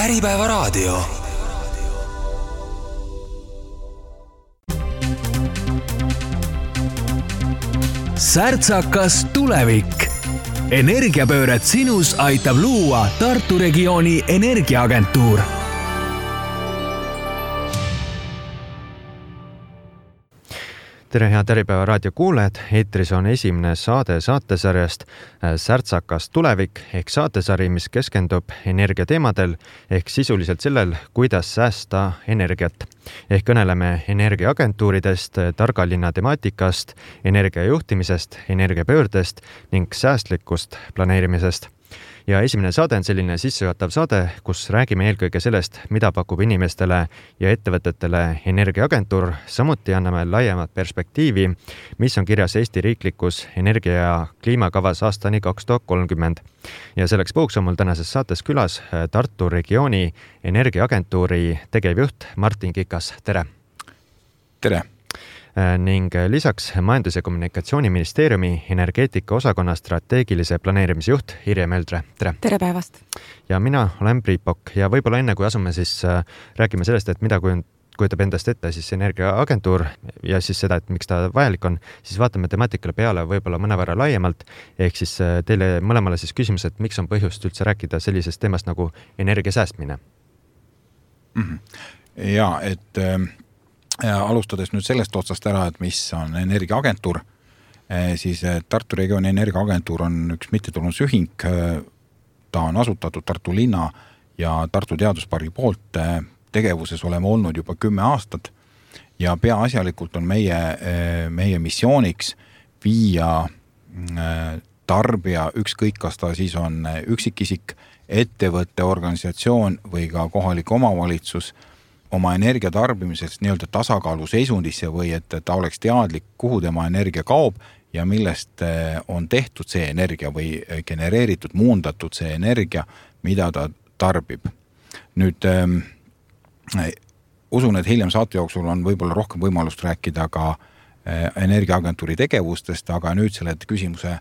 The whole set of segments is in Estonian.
Äripäevaraadio. Särtsakas tulevik. Energiapööret sinus aitab luua Tartu regiooni energiaagentuur. Tere head Äripäeva raadio kuulajad, eetris on esimene saade saatesarjast Särtsakas tulevik ehk saatesari, mis keskendub energiateemadel ehk sisuliselt sellel, kuidas säästa energiat. Ehk kõneleme energiaagentuuridest, targalinna temaatikast, energiajuhtimisest, energiapöördest ning säästlikust planeerimisest. Ja esimene saade on selline sissejuhatav saade, kus räägime eelkõige sellest, mida pakub inimestele ja ettevõtetele energiaagentuur. Samuti anname laiemat perspektiivi, mis on kirjas Eesti riiklikus energia- ja kliimakavas aastani 2030. Ja selleks puhuks on mul tänases saates külas Tartu regiooni energiaagentuuri tegevjuht Martin Kikas. Tere! Tere! Ning lisaks Majandus- ja Kommunikatsiooniministeeriumi energeetika osakonna strateegilise planeerimise juht Irje Möldre. Tere! Tere päevast! Ja mina olen Priit Pokk ja võib-olla enne kui asume siis räägime sellest, et mida kujutab endast ette siis energiaagentuur ja siis seda, et miks ta vajalik on, siis vaatame temaatikale peale võib-olla mõnevõrra laiemalt, ehk siis teile mõlemale siis küsimus, et miks on põhjust üldse rääkida sellisest teemast nagu energia säästmine? Ja, et alustades nüüd sellest otsast ära, et mis on energiaagentuur, siis Tartu regiooni energiaagentuur on üks mittetulundusühing. Ta on asutatud Tartu linna ja Tartu teaduspargi poolt. Tegevuses oleme olnud juba 10 aastat ja peaasjalikult on meie missiooniks viia tarbija, ükskõik kas ta siis on üksikisik, ettevõtte, organisatsioon või ka kohalik omavalitsus oma energia tarbimisest nii-öelda tasakaalu seisundisse või et ta oleks teadlik, kuhu tema energia kaob ja millest on tehtud see energia või genereeritud, muundatud see energia, mida ta tarbib. Nüüd usun, et hiljem saate jooksul on võib-olla rohkem võimalust rääkida ka energiaagentuuri tegevustest, aga nüüd selle küsimuse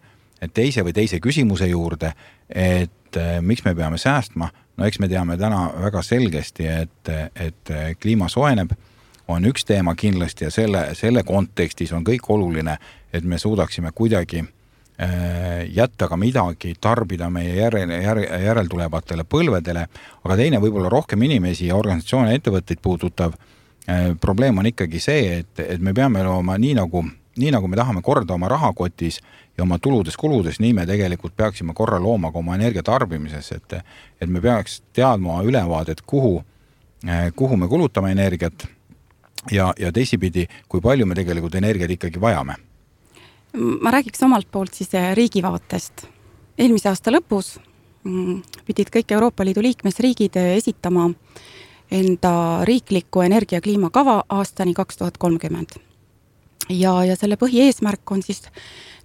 teise küsimuse juurde, et miks me peame säästma. No eks me teame täna väga selgesti, et kliima soojeneb, on üks teema kindlasti ja selle kontekstis on kõik oluline, et me suudaksime kuidagi jätta ka midagi, tarbida meie järeltulevatele põlvedele, aga teine võib-olla rohkem inimesi ja organisatsioone ettevõtteid puudutav probleem on ikkagi see, et me peame looma nii nagu me tahame korda oma rahakotis ja oma tuludes-kuludes, nii me tegelikult peaksime korra looma ka oma energia tarbimises, et me peaks teadma ülevaadet, kuhu me kulutame energiat ja teisipidi, kui palju me tegelikult energiat ikkagi vajame. Ma räägiks omalt poolt siis riigi vaatest. Eelmise aasta lõpus pidid kõik Euroopa Liidu liikmesriigid esitama enda riikliku energia- ja kliimakava aastani 2030. Ja selle põhieesmärk on siis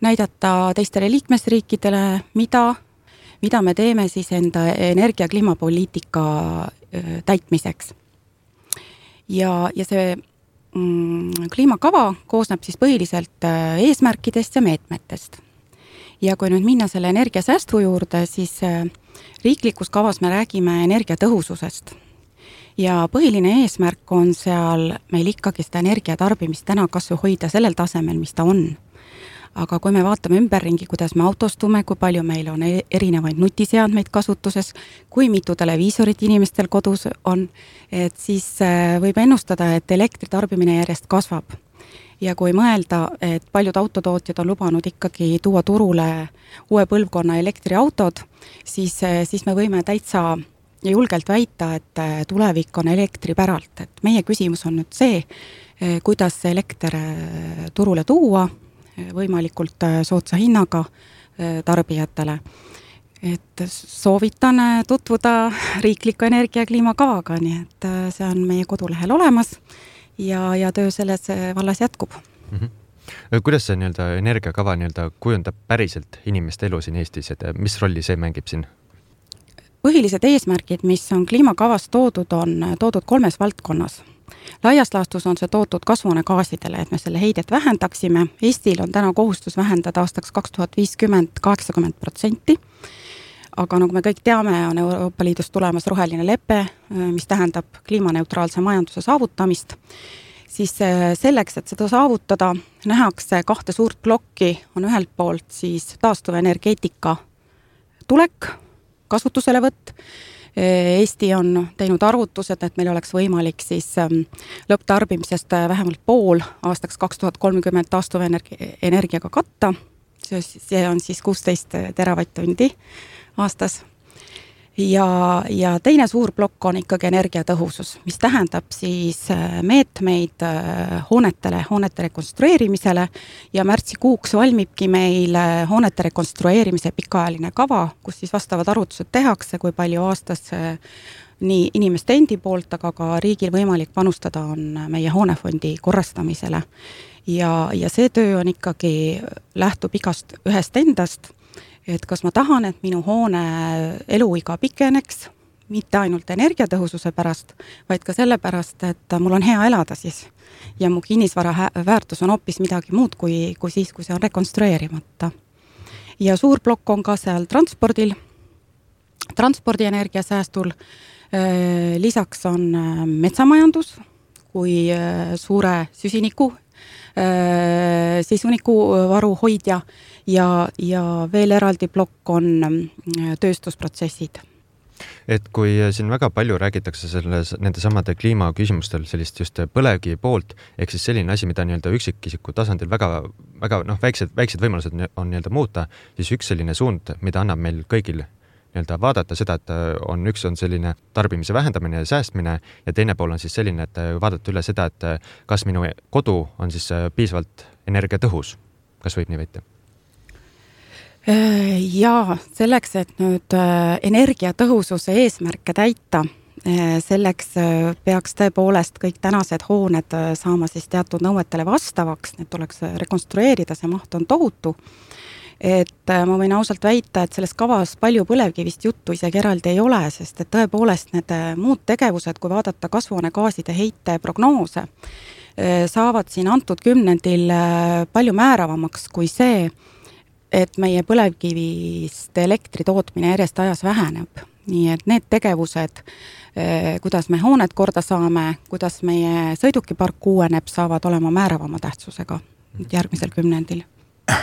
näidata teistele liikmesriikidele, mida me teeme siis enda energia- ja kliimapoliitika täitmiseks. Ja see kliimakava koosneb siis põhiliselt eesmärkidest ja meetmetest. Ja kui nüüd minna selle energiasäästu juurde, siis riiklikus kavas me räägime energiatõhususest. Ja põhiline eesmärk on seal meil ikkagi seda energiatarbimist täna kasvu hoida sellel tasemel, mis ta on. Aga kui me vaatame ümberringi, kuidas me autostume, kui palju meil on erinevaid nutiseadmeid kasutuses, kui mitu televiisorit inimestel kodus on, et siis võib ennustada, et elektritarbimine järjest kasvab. Ja kui mõelda, et paljud autotootjad on lubanud ikkagi tuua turule uue põlvkonna elektriautod, siis me võime täitsa julgelt väita, et tulevik on elektripäralt. Et meie küsimus on nüüd see, kuidas see elekter turule tuua võimalikult soodsa hinnaga tarbijatele. Et soovitan tutvuda riikliku energia- ja kliimakavaga, nii et see on meie kodulehel olemas ja töö selles vallas jätkub. Kuidas see energiakava kujundab päriselt inimeste elu siin Eestis, et mis rolli see mängib siin? Põhilised eesmärgid, mis on kliimakavas toodud, on toodud 3 valdkonnas. Laias laastus on see toodud kasvuhoonegaasidele, et me selle heidet vähendaksime. Eestil on täna kohustus vähendada aastaks 2050 80%, aga nagu me kõik teame, on Euroopa Liidus tulemas roheline lepe, mis tähendab kliimaneutraalse majanduse saavutamist, siis selleks, et seda saavutada, nähakse 2 suurt plokki, on ühelt poolt siis taastuvenergeetika tulek, kasutuselevõtt. Eesti on teinud arvutused, et meil oleks võimalik siis lõpptarbimisest vähemalt pool aastaks 2030 taastuvenergiaga katta. See on siis 16 teravatt-tundi aastas. Ja teine suur plokk on ikkagi energiatõhusus, mis tähendab siis meetmeid hoonete rekonstrueerimisele ja märtsikuuks valmibki meil hoonete rekonstrueerimise pikaajaline kava, kus siis vastavad arvutused tehakse, kui palju aastas nii inimeste endi poolt, aga ka riigil võimalik panustada on meie hoonefondi korrastamisele. Ja see töö on ikkagi, lähtub ühest endast, et kas ma tahan, et minu hoone eluiga pikeneks, mitte ainult energiatõhususe pärast, vaid ka selle pärast, et mul on hea elada siis. Ja mu kinnisvara väärtus on hoopis midagi muud kui siis, kui see on rekonstrueerimata. Ja suur plokk on ka seal transpordienergia säästul. Lisaks on metsamajandus kui suure süsinikuvaru hoidja ja veel eraldi plokk on tööstusprotsessid. Et kui siin väga palju räägitakse nende samade kliimaküsimustel sellist just põlevkivi poolt, ehk siis selline asi, mida nii-öelda üksikisiku tasandil väga väiksed võimalused on nii-öelda muuta, siis üks selline suund, mida annab meil kõigil nii-öelda vaadata seda, et üks on selline tarbimise vähendamine ja säästmine ja teine pool on siis selline, et vaadata üle seda, et kas minu kodu on siis piisavalt energiatõhus. Kas võib nii võita? Ja selleks, et nüüd energiatõhususe eesmärke täita, selleks peaks tõepoolest kõik tänased hooned saama siis teatud nõuetele vastavaks, need tuleks rekonstrueerida, see maht on tohutu. Et ma võin ausalt väita, et selles kavas palju põlevkivist juttu isegi eraldi ei ole, sest et tõepoolest need muud tegevused, kui vaadata kasvuhoonegaaside heite prognoose, saavad siin antud kümnendil palju määravamaks kui see, et meie põlevkivist elektri tootmine järjest ajas väheneb. Nii et need tegevused, kuidas me hooned korda saame, kuidas meie sõidukipark uueneb, saavad olema määravama tähtsusega järgmisel kümnendil.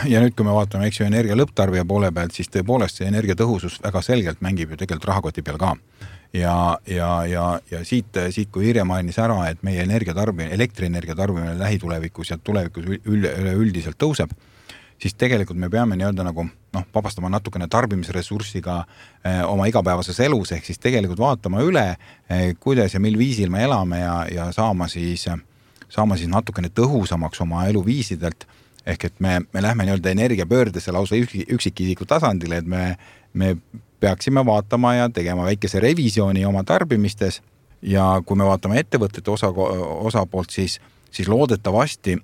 Ja nüüd, kui me vaatame energia lõpptarbija poole pealt, siis tõepoolest see energiatõhusus väga selgelt mängib ju tegelikult rahakoti peal ka. Ja siit kui Irja mainis ära, et meie elektrienergia tarbimine lähitulevikus ja tulevikus üldiselt tõuseb, siis tegelikult me peame nii-öelda nagu vabastama natukene tarbimisressurssiga oma igapäevases elus, ehk siis tegelikult vaatama üle, kuidas ja mil viisil me elame ja saama siis natukene tõhusamaks oma eluviisidelt, ehk et me lähme nii-öelda energiapöördesse lausa üksikisiku tasandile, et me peaksime vaatama ja tegema väikese revisiooni oma tarbimistes ja kui me vaatame ettevõtete osapoolt, siis loodetavasti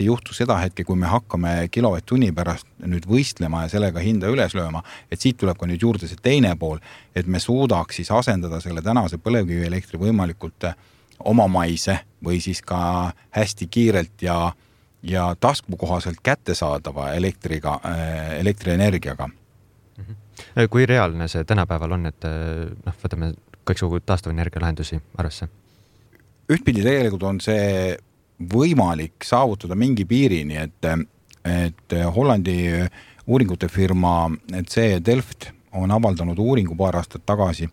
ei juhtu seda hetke, kui me hakkame kilovatt-tunni pärast nüüd võistlema ja sellega hinda üles lööma, et siit tuleb ka nüüd juurde see teine pool, et me suudaks siis asendada selle tänase põlevkivielektri võimalikult omamaise või siis ka hästi kiirelt ja taskukohaselt kättesaadava elektrienergiaga. Kui reaalne see tänapäeval on, et võtame kõiksugu taastuvenergia lahendusi arvesse? Ühtpidi tegelikult on see võimalik saavutada mingi piirini, et Hollandi uuringute firma C Delft on avaldanud uuringu paar aastat tagasi.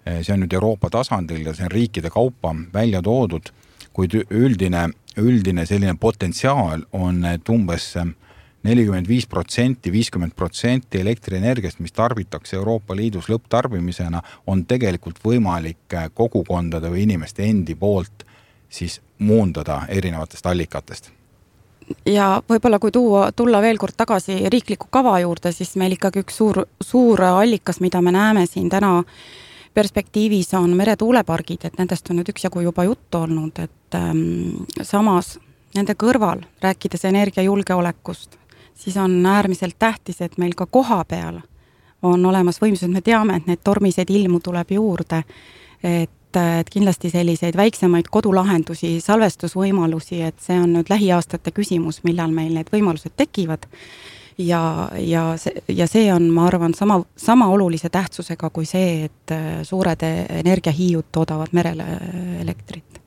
See on nüüd Euroopa tasandil ja see on riikide kaupa välja toodud, kuid üldine selline potentsiaal on, et umbes 45%, 50% elektrienergiast, mis tarbitakse Euroopa Liidus lõpptarbimisena, on tegelikult võimalik kogukondade või inimeste endi poolt siis muundada erinevatest allikatest. Ja võib-olla kui tulla veel kord tagasi riikliku kava juurde, siis meil ikkagi üks suur allikas, mida me näeme siin täna perspektiivis on meretuulepargid, et nendest on nüüd üksjagu juba juttu olnud, et samas nende kõrval, rääkides energiajulgeolekust, siis on äärmiselt tähtis, et meil ka koha peal on olemas võimsused, me teame, et need tormised ilmu tuleb juurde, et kindlasti selliseid väiksemaid kodulahendusi, salvestusvõimalusi, et see on nüüd lähiaastate küsimus, millal meil need võimalused tekivad. ja see on, ma arvan, sama olulise tähtsusega kui see, et suured energiahiiud toodavad merele elektrit.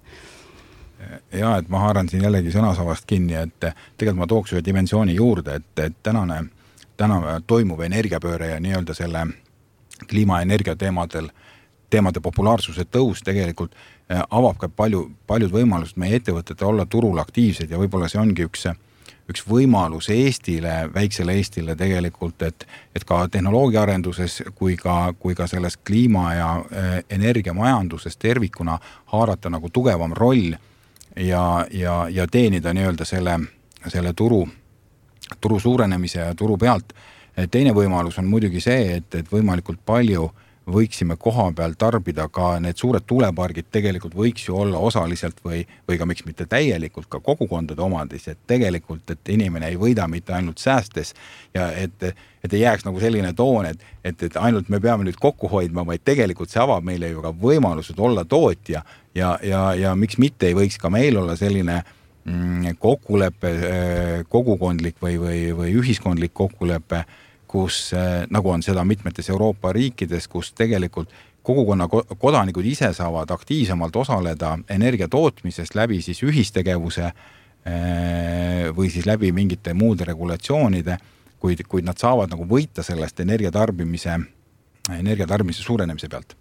Ja, et ma haaran siin jällegi sõnasavast kinni, et tegelikult ma tooks ühe dimensiooni juurde, et täna toimuv energiapööre ja nii-öelda selle kliimaenergia teemade populaarsuse tõus tegelikult avab ka paljud võimalused meie ettevõtete olla turul aktiivsed ja võib-olla see ongi üks võimalus Eestile, väiksele Eestile tegelikult, et ka tehnoloogiaarenduses kui ka selles kliima- ja energiamajanduses tervikuna haarata nagu tugevam roll ja teenida nii-öelda selle turu suurenemise ja turu pealt. Teine võimalus on muidugi see, et võimalikult palju võiksime koha peal tarbida ka need suured tuulepargid tegelikult võiks ju olla osaliselt või ka miks mitte täielikult ka kogukondade omadis, et tegelikult, et inimene ei võida mitte ainult säästes ja et ei jääks nagu selline toon, et ainult me peame nüüd kokku hoidma, vaid tegelikult see avab meile ju ka võimalused olla tootja ja miks mitte ei võiks ka meil olla selline kokkulepe, kogukondlik või ühiskondlik kokkulepe, kus nagu on seda mitmetes Euroopa riikides, kus tegelikult kogukonna kodanikud ise saavad aktiivsemalt osaleda energia tootmisest läbi siis ühistegevuse või siis läbi mingite muude regulatsioonide, kuid nad saavad nagu võita sellest energiatarbimise suurenemise pealt.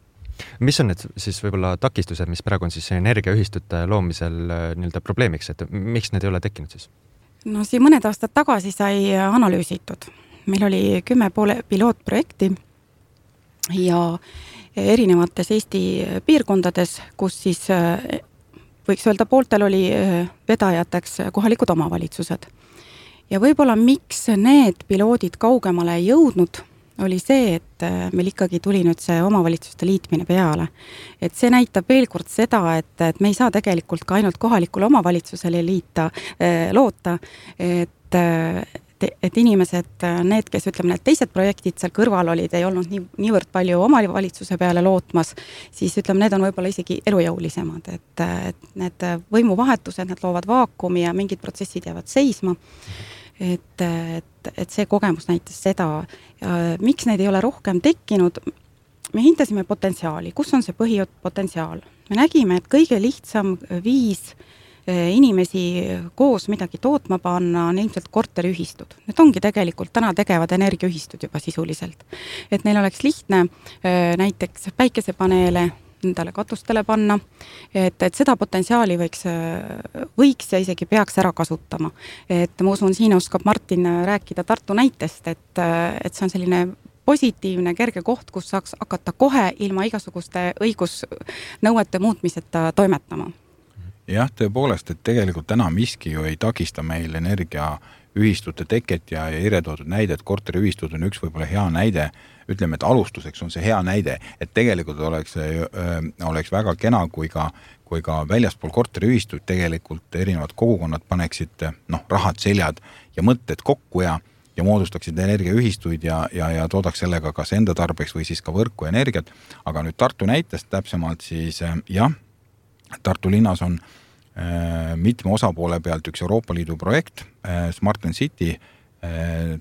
Mis on need siis võib-olla takistused, mis praegu on siis energiaühistute loomisel nii-öelda probleemiks, et miks need ei ole tekkinud siis? No siin mõned aastad tagasi sai analüüsitud. Meil oli 10 pilootprojekti ja erinevates Eesti piirkondades, kus siis võiks öelda pooltel oli vedajateks kohalikud omavalitsused. Ja võib-olla miks need piloodid kaugemale ei jõudnud, oli see, et meil ikkagi tuli nüüd see omavalitsuste liitmine peale. Et see näitab veel kord seda, et me ei saa tegelikult ka ainult kohalikule omavalitsusele loota, et inimesed, need, kes ütleme, need teised projektid seal kõrval olid, ei olnud niivõrd palju omavalitsuse peale lootmas, siis ütleme, need on võib-olla isegi elujõulisemad, et need võimuvahetused, need loovad vaakumi ja mingid protsessid jäävad seisma. Et see kogemus näitas seda, miks neid ei ole rohkem tekkinud. Me hindasime potentsiaali, kus on see põhipotentsiaal. Me nägime, et kõige lihtsam viis inimesi koos midagi tootma panna on ilmselt korteriühistud. Need ongi tegelikult täna tegevad energiaühistud juba sisuliselt. Et neil oleks lihtne näiteks päikesepaneele endale katustele panna, et seda potentsiaali võiks ja isegi peaks ära kasutama. Et ma usun, siin oskab Martin rääkida Tartu näitest, et see on selline positiivne, kerge koht, kus saaks hakata kohe ilma igasuguste õigusnõuete muutmiseta toimetama. Jah, tõepoolest, et tegelikult täna miski ju ei takista meil energiaühistute teket ja iretoodud näide, et korteriühistud on üks võib-olla hea näide. Ütleme, et alustuseks on see hea näide, et tegelikult oleks väga kena, kui ka väljaspool korteriühistuid tegelikult erinevad kogukonnad paneksid rahad seljad ja mõtted kokku ja moodustaksid energiaühistuid ja toodaks sellega kas enda tarbeks või siis ka võrku energiat. Aga nüüd Tartu näitest täpsemalt siis jah, Tartu linnas on mitme osapoole pealt üks Euroopa Liidu projekt, Smart and City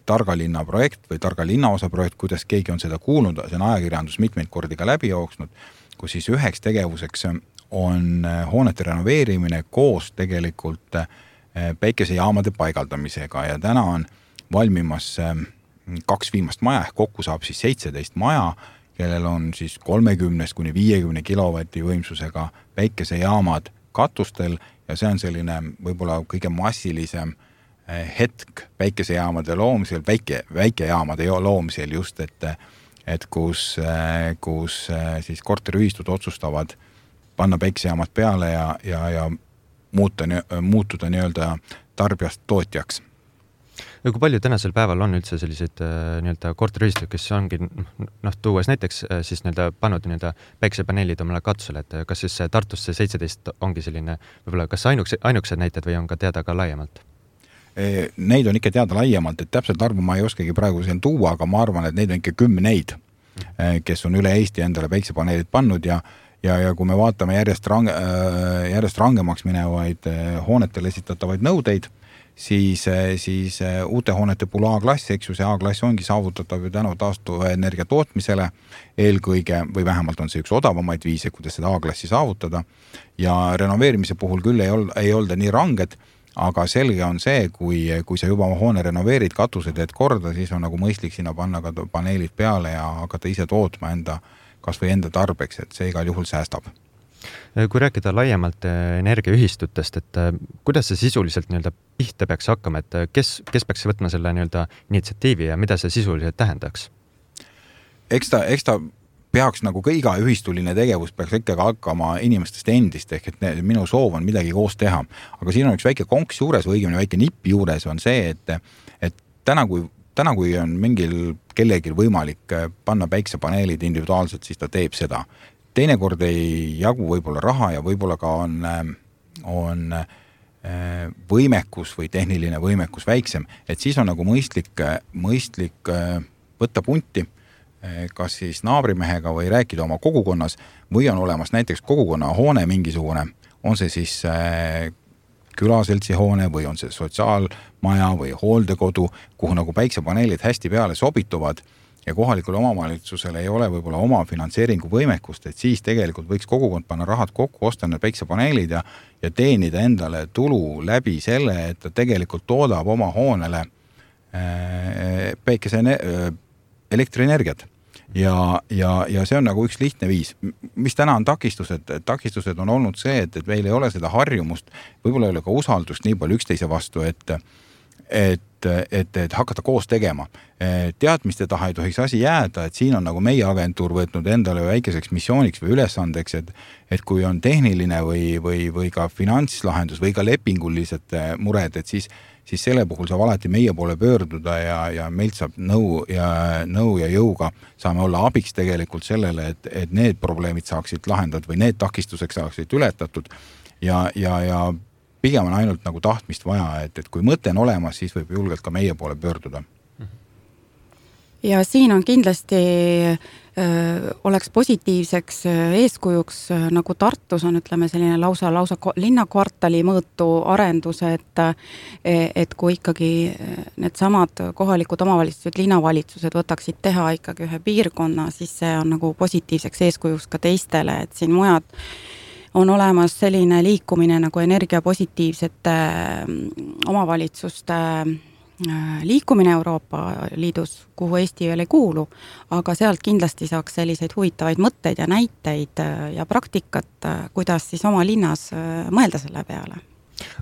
targa linna projekt või targa linna osa projekt, kuidas keegi on seda kuulnud, see on ajakirjandus mitmeid kordi ka läbi jooksnud, kus siis üheks tegevuseks on hoonete renoveerimine koos tegelikult päikesejaamade paigaldamisega ja täna on valmimas 2 viimast maja, kokku saab siis 17 maja, kellel on siis 30–50 kilovati võimsusega päikesejaamad katustel ja see on selline võib-olla kõige massilisem hetk päikesejaamade loomisel, väikejaamade loomisel just, et kus siis korteriühistud otsustavad panna päikesejaamad peale ja muutuda nii-öelda tarbijast tootjaks. Ja kui palju tänasel päeval on üldse selliseid nii-öelda korteriühistud, kes ongi tuues näiteks siis nii-öelda pannud nii-öelda päikesepaneelid omale katusele, et kas siis Tartus see 17 ongi selline võib-olla kas ainukesed näited või on ka teada ka laiemalt? Neid on ikka teada laiemalt, et täpselt arvu ma ei oskagi praegu siin tuua, aga ma arvan, et neid on ikka 10, kes on üle Eesti endale päikesepaneelid pannud ja kui me vaatame järjest rangemaks minevaid hoonetele esitatavaid nõudeid, siis uute hoonete puhul A-klass, eks ju, see A-klass ongi saavutatav ju tänu taastuvenergia tootmisele eelkõige, või vähemalt on see üks odavamaid viise, kuidas seda A-klassi saavutada. Ja renoveerimise puhul küll ei olda nii ranged, aga selge on see, kui sa juba hoone renoveerid, katused teed korda, siis on nagu mõistlik sinna panna ka paneelid peale ja hakata ise tootma kas või enda tarbeks, et see igal juhul säästab. Kui rääkida laiemalt energiaühistutest, et kuidas see sisuliselt pihta peaks hakkama, et kes peaks võtma selle initsiatiivi ja mida see sisuliselt tähendaks? Eks ta peaks nagu ka iga ühistuline tegevus peaks ikkagi hakkama inimestest endist, ehk et minu soov on midagi koos teha. Aga siin on üks väike konks juures või õigemini väike nipp juures on see, et täna kui on mingil kellelgi võimalik panna päiksepaneelid individuaalselt, siis ta teeb seda. Teinekord ei jagu võib-olla raha ja võib-olla ka on võimekus või tehniline võimekus väiksem, et siis on nagu mõistlik võtta punti, kas siis naabrimehega või rääkida oma kogukonnas või on olemas näiteks kogukonna hoone mingisugune, on see siis külaseltsi hoone või on see sotsiaalmaja või hooldekodu, kuhu nagu päiksepaneelid hästi peale sobituvad ja kohalikul omavalitsusel ei ole võib-olla oma finantseeringu võimekust, et siis tegelikult võiks kogukond panna rahad kokku, osta need päiksepaneelid ja teenida endale tulu läbi selle, et ta tegelikult toodab oma hoonele elektrienergiat. Ja see on nagu üks lihtne viis. Mis täna on takistused? Takistused on olnud see, et meil ei ole seda harjumust, võib-olla ei ole ka usaldust nii palju üksteise vastu, et hakata koos tegema. Teadmiste taha ei tohiks asi jääda, et siin on nagu meie agentuur võtnud endale väikeseks missiooniks või ülesandeks, et kui on tehniline või ka finantslahendus või ka lepingulised mured, et siis selle puhul saab alati meie poole pöörduda ja meilt saab nõu ja jõuga saame olla abiks tegelikult sellele, et need probleemid saaksid lahendatud või need takistuseks saaksid ületatud ja pigem on ainult nagu tahtmist vaja, et kui mõte on olemas, siis võib julgelt ka meie poole pöörduda. Ja siin on kindlasti oleks positiivseks eeskujuks, nagu Tartus on, ütleme, selline lausa linnakvartali mõõtu arendus, et kui ikkagi need samad kohalikud omavalitsused, linnavalitsused võtaksid teha ikkagi ühe piirkonna, siis see on nagu positiivseks eeskujuks ka teistele, et siin mujad on olemas selline liikumine nagu energiapositiivsete omavalitsuste liikumine Euroopa Liidus, kuhu Eesti veel ei kuulu, aga sealt kindlasti saaks selliseid huvitavaid mõtteid ja näiteid ja praktikat, kuidas siis oma linnas mõelda selle peale.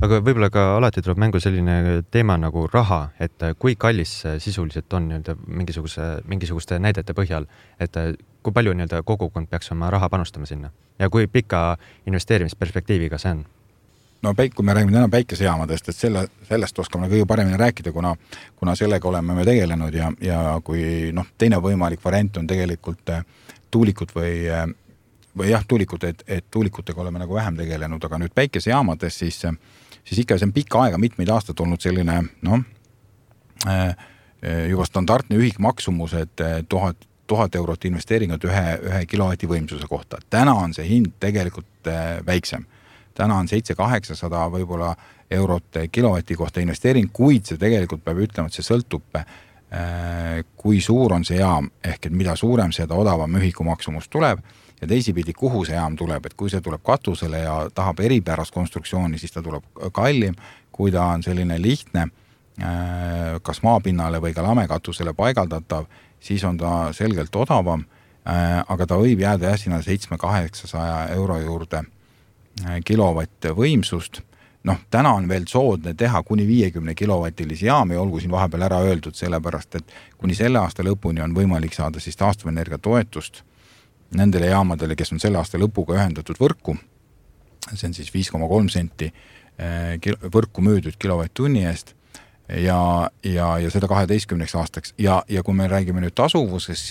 Aga võib-olla ka alati tuleb mängu selline teema nagu raha, et kui kallis sisuliselt on mingisuguste näidete põhjal, et kui palju kogukond peaks oma raha panustama sinna ja kui pika investeerimisperspektiiviga see on? No kui me räägime täna päikesejaamadest, et sellest oskame kõige paremini rääkida, kuna sellega oleme me tegelenud ja kui teine võimalik variant on tegelikult tuulikud või tuulikud, et tuulikutega oleme nagu vähem tegelenud, aga nüüd päikesejaamades siis ikka see on pikka aega, mitmeid aastaid olnud selline juba standardne ühikmaksumus, et 1000 eurot investeeringut ühe kilovati võimsuse kohta. Täna on see hind tegelikult väiksem. Täna on 700-800 võib-olla eurot kilovati kohta investeering, kuid see tegelikult peab ütlema, et see sõltub, kui suur on see jaam, ehk et mida suurem seda odavam ühikumaksumus tuleb ja teisipidi, kuhu see jaam tuleb, et kui see tuleb katusele ja tahab eripärast konstruktsiooni, siis ta tuleb kallim, kui ta on selline lihtne, kas maapinnale või ka lamekatusele paigaldatav, siis on ta selgelt odavam, aga ta võib jääda sinna 700-800 euro juurde kilovatt võimsust. Täna on veel soodne teha kuni 50 kilovatilisi jaami, olgu siin vahepeal ära öeldud, sellepärast, et kuni selle aasta lõpuni on võimalik saada siis taastuvenergia toetust nendele jaamadele, kes on selle aasta lõpuga ühendatud võrku. See on siis 5,3 senti võrku müüdud kilovatt-tunni eest ja seda 12 aastaks. Ja kui me räägime nüüd tasuvusest,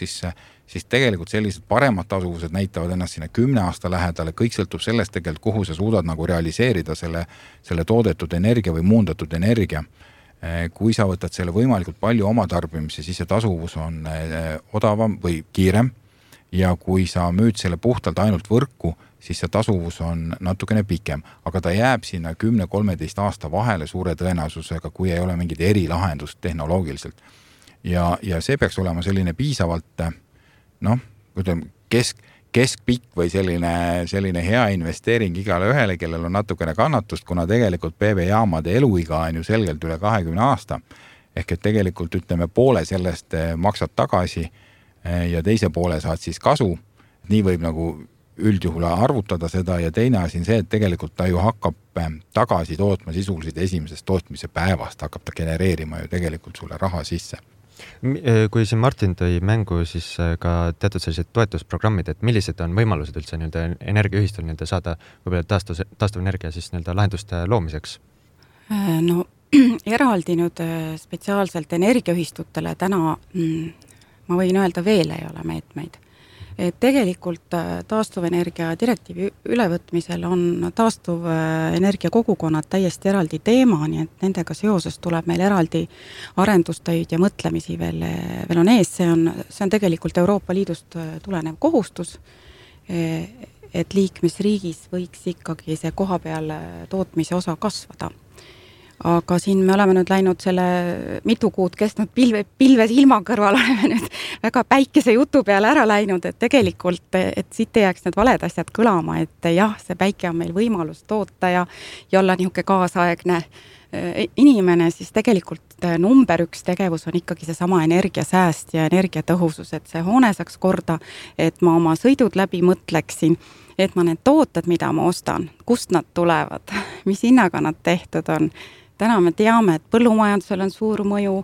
siis tegelikult sellised paremad tasuvused näitavad ennast sinna 10 aasta lähedale, kõik sõltub sellest tegelikult, kuhu sa suudad nagu realiseerida selle toodetud energia või muundatud energia. Kui sa võtad selle võimalikult palju oma tarbimise, siis see tasuvus on odavam või kiirem ja kui sa müüd selle puhtalt ainult võrku, siis see tasuvus on natukene pikem, aga ta jääb sinna 10-13 aasta vahele suure tõenäosusega, kui ei ole mingit erilahendust tehnoloogiliselt. Ja see peaks olema selline piisavalt, ütleme, keskpikk või selline hea investeering igale ühele, kellel on natukene kannatust, kuna tegelikult PV-jaamade eluiga on ju selgelt üle 20 aasta. Ehk et tegelikult ütleme poole sellest maksad tagasi ja teise poole saad siis kasu. Nii võib nagu üldjuhul arvutada seda ja teine asi on see, et tegelikult ta ju hakkab tagasi tootma sisuliselt esimesest tootmise päevast, hakkab ta genereerima ju tegelikult sulle raha sisse. Kui siin Martin tõi mängu siis ka teatud sellised toetusprogrammid, et millised on võimalused üldse energiaühistul saada taastuvenergia siis lahenduste loomiseks? No eraldi nüüd spetsiaalselt energiaühistutele täna ma võin öelda veel ei ole meetmeid. Et tegelikult taastuvenergia direktiivi ülevõtmisel on taastuvenergia kogukonnad täiesti eraldi teema, nii et nendega seoses tuleb meil eraldi arendustöid ja mõtlemisi veel on ees. See on tegelikult Euroopa Liidust tulenev kohustus, et liikmesriigis võiks ikkagi see koha peal tootmise osa kasvada. Aga siin me oleme nüüd läinud selle mitu kuud kestnud pilves ilma kõrval oleme nüüd väga päikese jutu peale ära läinud, et tegelikult, et siit ei jääks need valed asjad kõlama, et jah, see päike on meil võimalus toota ja olla niisugune kaasaegne inimene, siis tegelikult number 1 tegevus on ikkagi see sama energiasääst ja energiatõhusus, et see hoone saaks korda, et ma oma sõidud läbi mõtleksin, et ma need tooted, mida ma ostan, kust nad tulevad, mis hinnaga nad tehtud on. Täna me teame, et põllumajandusel on suur mõju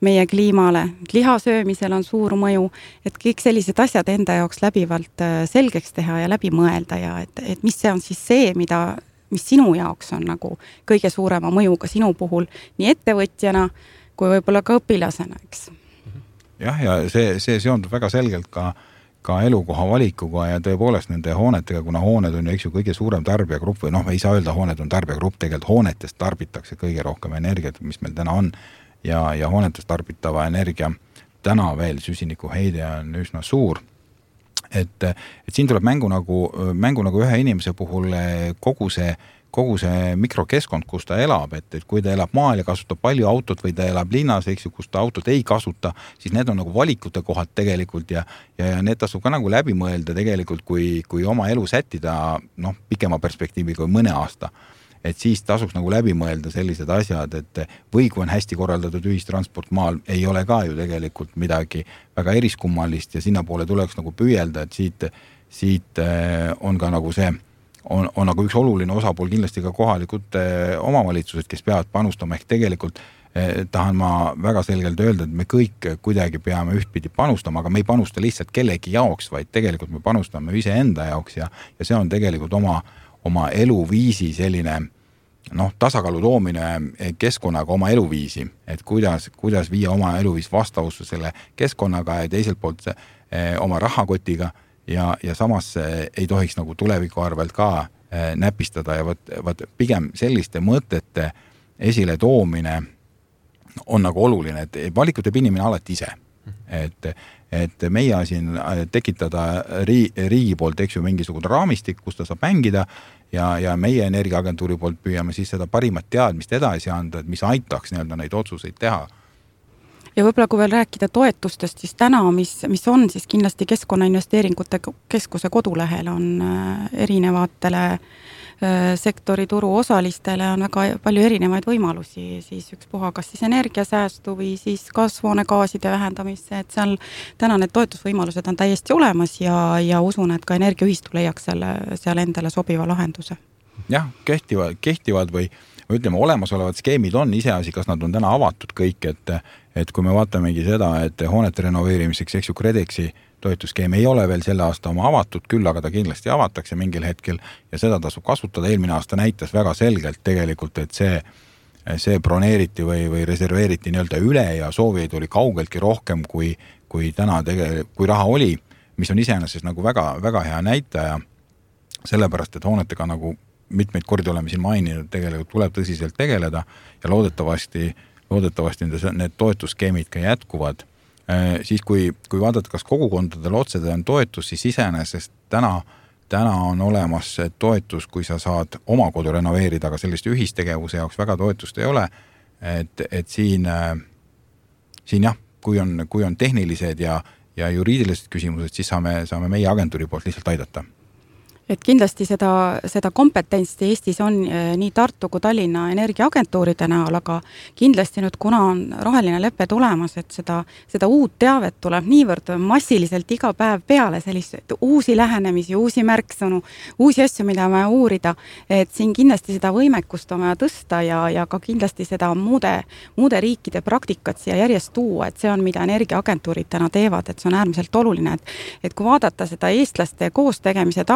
meie kliimale, lihasöömisel on suur mõju, et kõik sellised asjad enda jaoks läbivalt selgeks teha ja läbi mõelda ja et mis see on siis see, mis sinu jaoks on nagu kõige suurema mõjuga sinu puhul nii ettevõtjana kui võib-olla ka õpilasena, eks. Jah, ja see seondub väga selgelt ka elukoha valikuga ja tõepoolest nende hoonetega, kuna hooned on ju kõige suurem tarbijagrupp või ei saa öelda hooned on tarbijagrupp, tegelikult hoonetest tarbitakse kõige rohkem energiat, mis meil täna on ja hoonetest tarbitava energia täna veel süsinikuheide on üsna suur. Et siin tuleb mängu nagu ühe inimese puhul kogu see mikrokeskkond, kus ta elab, et kui ta elab maal ja kasutab palju autot või ta elab linnas, kus ta autot ei kasuta, siis need on nagu valikute kohad tegelikult ja need tasub ka nagu läbi mõelda tegelikult, kui oma elu sättida pikema perspektiivi kui mõne aasta. Et siis tasuks nagu läbi mõelda sellised asjad, et või kui on hästi korraldatud ühistransport maal, ei ole ka ju tegelikult midagi väga eriskummalist ja sinna poole tuleks nagu püüelda, et siit on ka nagu see on nagu üks oluline osapool kindlasti ka kohalikud omavalitsused, kes peavad panustama, ehk tegelikult tahan ma väga selgelt öelda, et me kõik kuidagi peame ühtpidi panustama, aga me ei panusta lihtsalt kellegi jaoks, vaid tegelikult me panustame iseenda jaoks ja see on tegelikult oma eluviisi selline tasakaalu toomine keskkonnaga oma eluviisi, et kuidas viia oma eluviis vastavusse selle keskkonnaga ja teiselt poolt oma rahakotiga ja samas ei tohiks nagu tuleviku arvelt ka näpistada ja võt pigem selliste mõtete esile toomine on nagu oluline, et valikut teeb inimene alati ise. Et meie siin tekitada riigi poolt, eks ju, mingisugune raamistik, kus ta saab mängida ja meie energiaagentuuri poolt püüame siis seda parimat teadmist edasi anda, et mis aitaks neid otsuseid teha. Ja võib-olla kui veel rääkida toetustest, siis täna, mis on siis kindlasti Keskkonnainvesteeringute Keskuse kodulehel on erinevatele sektori turu osalistele on väga palju erinevaid võimalusi, siis ükspuha kas siis energiasäästu või siis kasvuhoonegaaside vähendamisse, et seal täna need toetusvõimalused on täiesti olemas ja usun, et ka energiaühistu leiaks seal endale sobiva lahenduse. Jah, kehtivad või ütleme, olemasolevad skeemid on iseasi, kas nad on täna avatud kõik, et kui me vaatamegi seda, et hoonete renoveerimiseks, eks ju, KredExi toetusskeem ei ole veel selle aasta oma avatud, küll aga ta kindlasti avatakse mingil hetkel ja seda tasub kasutada. Eelmine aasta näitas väga selgelt tegelikult, et see broneeriti või reserveeriti nii-öelda üle ja soovijaid oli kaugeltki rohkem kui täna kui raha oli, mis on iseenesest nagu väga, väga hea näitaja, sellepärast, et hoonetega nagu mitmeid kordi oleme siin maininud, tegelikult tuleb tõsiselt tegeleda ja loodetavasti need toetusskeemid ka jätkuvad. Siis kui vaadata, kas kogukondadel otsede on toetus, siis iseenesest täna täna on olemas toetus, kui sa saad oma kodu renoveerida, aga sellist ühistegevuse jaoks väga toetust ei ole. Et siin jah, kui on tehnilised ja juriidilised küsimused, siis saame meie agentuuri poolt lihtsalt aidata. Et kindlasti seda kompetentsi Eestis on nii Tartu kui Tallinna energiaagentuuride näol, aga kindlasti nüüd, kuna on roheline leppe tulemas, et seda uut teavet tuleb niivõrd massiliselt iga päev peale, selliseid uusi lähenemisi, uusi märksõnu, uusi asju, mida me uurida, et siin kindlasti seda võimekust on vaja tõsta ja ka kindlasti seda muude riikide praktikat siia järjest tuua, et see on, mida energiaagentuurid täna teevad, et see on äärmiselt oluline, et kui vaadata seda eestlaste koos tegemise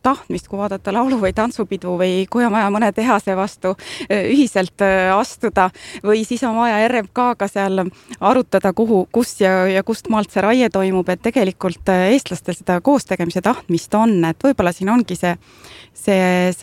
tahtmist, kui vaadata laulu- või tantsupidu või kui on vaja mõne tehase vastu ühiselt astuda või siis on vaja RMK-ga seal arutada, kus ja kust maalt see raie toimub, et tegelikult eestlastel seda koos-tegemise tahtmist on, et võib-olla siin ongi see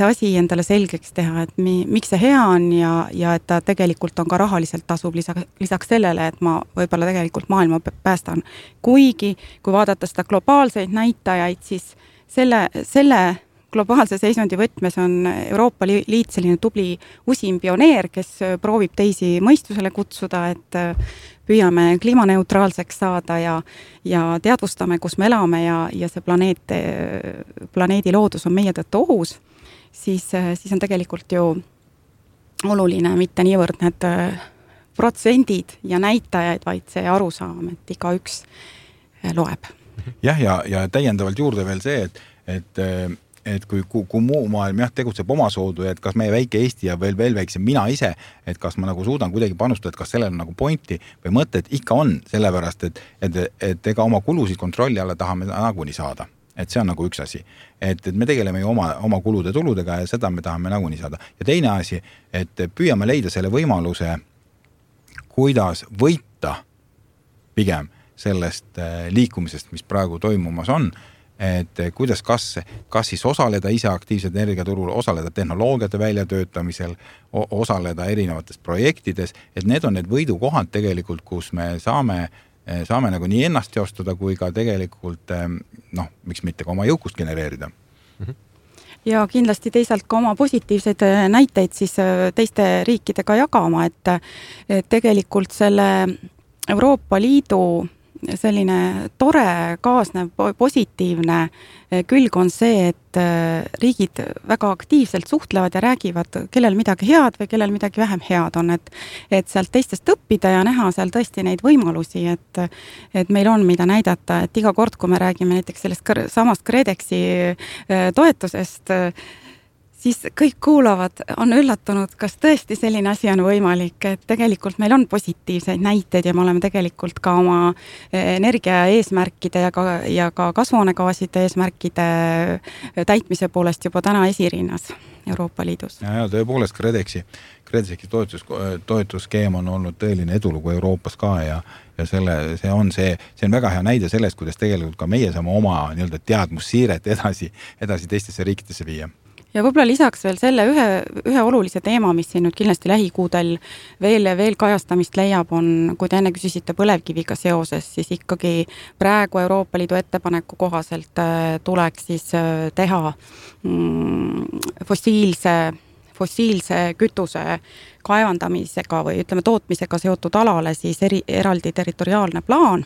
asi endale selgeks teha, et miks see hea on ja et ta tegelikult on ka rahaliselt tasub lisaks sellele, et ma võib-olla tegelikult maailma päästan. Kuigi, kui vaadata seda globaalseid näitajaid, siis selle globaalse seisundi võtmes on Euroopa Liit selline tubli usim pioneer, kes proovib teisi mõistusele kutsuda, et püüame kliimaneutraalseks saada ja teadvustame, kus me elame ja see planeedi loodus on meie tõttu ohus, siis on tegelikult ju oluline mitte niivõrd need protsendid ja näitajaid, vaid see arusaam, et igaüks loeb. Jah, ja täiendavalt juurde veel see, et kui muu maailm tegutseb omasoodu, et kas meie väike Eesti ja veel väiksem mina ise, et kas ma nagu suudan kuidagi panustada, et kas sellel on nagu pointi või mõtet, ikka on, sellepärast, et ega oma kulusid kontrolli alla tahame nagunii saada. Et see on nagu üks asi. Et me tegeleme ju oma kulude tuludega ja seda me tahame nagunii saada. Ja teine asi, et püüame leida selle võimaluse, kuidas võita pigem sellest liikumisest, mis praegu toimumas on, et kuidas kas siis osaleda ise aktiivselt energiaturul, osaleda tehnoloogiate väljatöötamisel, osaleda erinevates projektides, et need on need võidukohad tegelikult, kus me saame nagu nii ennast teostada, kui ka tegelikult, miks mitte ka oma jõukust genereerida. Ja kindlasti teisalt ka oma positiivseid näiteid siis teiste riikidega jagama, et tegelikult selle Euroopa Liidu selline tore, kaasnev, positiivne külg on see, et riigid väga aktiivselt suhtlevad ja räägivad, kellel midagi head või kellel midagi vähem head on, et sealt teistest õppida ja näha seal tõesti neid võimalusi, et meil on mida näidata, et iga kord, kui me räägime näiteks sellest samast KredExi toetusest, siis kõik kuulavad, on üllatunud, kas tõesti selline asi on võimalik, et tegelikult meil on positiivseid näiteid ja me oleme tegelikult ka oma energia eesmärkide ja ka kasvuhoonegaaside eesmärkide täitmise poolest juba täna esirinnas Euroopa Liidus. Ja tõepoolest KredExi toetusskeem on olnud tõeline edulugu Euroopas ka ja see on väga hea näide sellest, kuidas tegelikult ka meie saame oma teadmussiiret edasi teistesse riikidesse viia. Ja võib-olla lisaks veel selle ühe olulise teema, mis siin nüüd kindlasti lähikuudel veel kajastamist leiab, on, kui te enne küsisite põlevkiviga seoses, siis ikkagi praegu Euroopa Liidu ettepaneku kohaselt tuleks siis teha fossiilse kütuse kaevandamisega või ütleme tootmisega seotud alale siis eraldi territoriaalne plaan,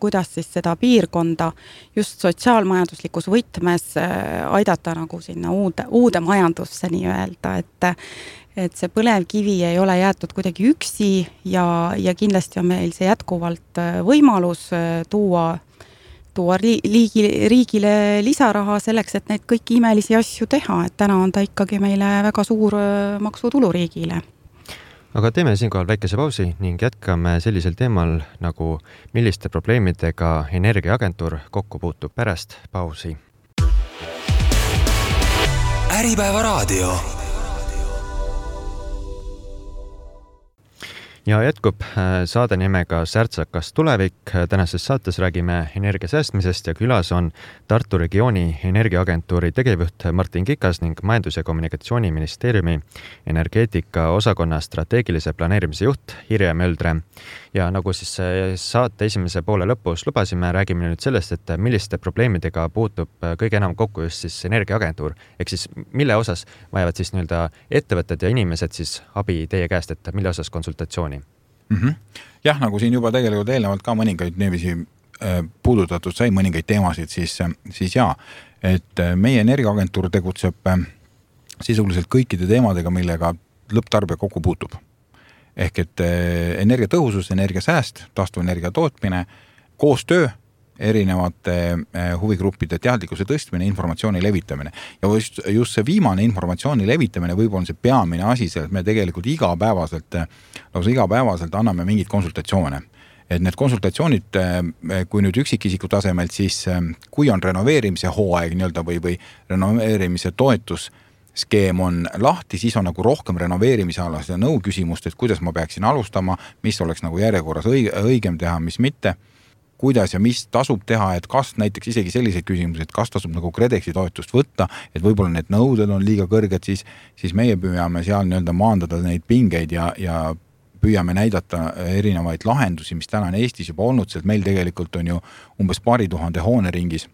kuidas siis seda piirkonda just sotsiaalmajanduslikus võtmes aidata nagu sinna uude majandusse nii öelda, et see põlevkivi ei ole jäetud kuidagi üksi ja kindlasti on meil see jätkuvalt võimalus tuua riigile lisaraha selleks, et neid kõiki imelisi asju teha, et täna on ta ikkagi meile väga suur maksutulu riigile. Aga teeme siinkohal väikese pausi ning jätkame sellisel teemal nagu milliste probleemidega energiaagentuur kokku puutub pärast pausi. Äripäeva raadio. Ja jätkub saade nimega Särtsakas tulevik. Tänases saates räägime energia säästmisest ja külas on Tartu regiooni energiaagentuuri tegevjuht Martin Kikas ning Majandus- ja Kommunikatsiooniministeeriumi energeetika osakonna strateegilise planeerimise juht Irje Möldre. Ja nagu siis saate esimese poole lõpus lubasime, räägime nüüd sellest, et milliste probleemidega puutub kõige enam kokku just siis energiaagentuur. Ehk siis mille osas vajavad siis nii-öelda ettevõtted ja inimesed siis abi teie käest, et mille osas konsultatsiooni? Jah, nagu siin juba tegelikult eelnevalt ka mõningaid neevisi puudutatud sai mõningaid teemasid, siis jaa, et meie energiaagentuur tegutseb sisuliselt kõikide teemadega, millega lõpptarbija kokku puutub. Ehk et energiatõhusus, energiasääst, taastuvenergia tootmine, koostöö, erinevate huvigruppide teadlikkuse tõstmine, informatsiooni levitamine. Ja just see viimane informatsiooni levitamine võib-olla on see peamine asi, et me tegelikult igapäevaselt anname mingid konsultatsioone. Et need konsultatsioonid, kui nüüd üksikisiku tasemelt, siis kui on renoveerimise hooaeg või renoveerimise toetusskeem on lahti, siis on nagu rohkem renoveerimise alas ja nõu küsimust, et kuidas ma peaksin alustama, mis oleks nagu järjekorras õigem teha, mis mitte, kuidas ja mis tasub teha, et kas näiteks isegi selliseid küsimusi, et kas tasub nagu KredExi toetust võtta, et võib-olla need nõuded on liiga kõrged, siis meie püüame seal nii-öelda maandada neid pingeid ja püüame näidata erinevaid lahendusi, mis täna on Eestis juba olnud, sest meil tegelikult on ju umbes 2000 hooneringis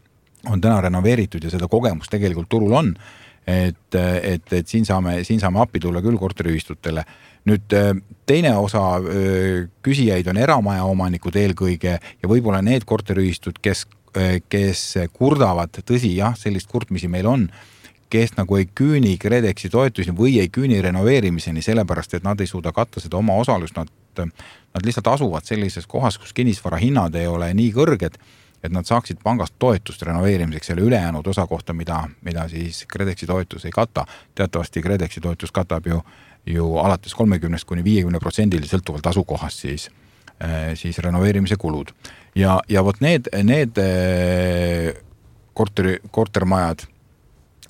on täna renoveeritud ja seda kogemus tegelikult turul on, et siin saame appi tulla küll korteriühistutele. Nüüd teine osa küsijaid on eramaja omanikud eelkõige ja võib-olla need korteriühistud, kes kurdavad, tõsi jah, sellist kurtmisi meil on, kes nagu ei küüni KredExi toetusi või ei küüni renoveerimiseni, sellepärast, et nad ei suuda katta seda oma osalust, nad lihtsalt asuvad sellises kohas, kus kinnisvara hinnad ei ole nii kõrged, et nad saaksid pangast toetust renoveerimiseks selle ülejäänud osa kohta, mida siis KredExi toetus ei kata. Teatavasti KredExi toetus katab ju alates 30–50% sõltuvalt asukohast siis renoveerimise kulud. Ja vot need kortermajad,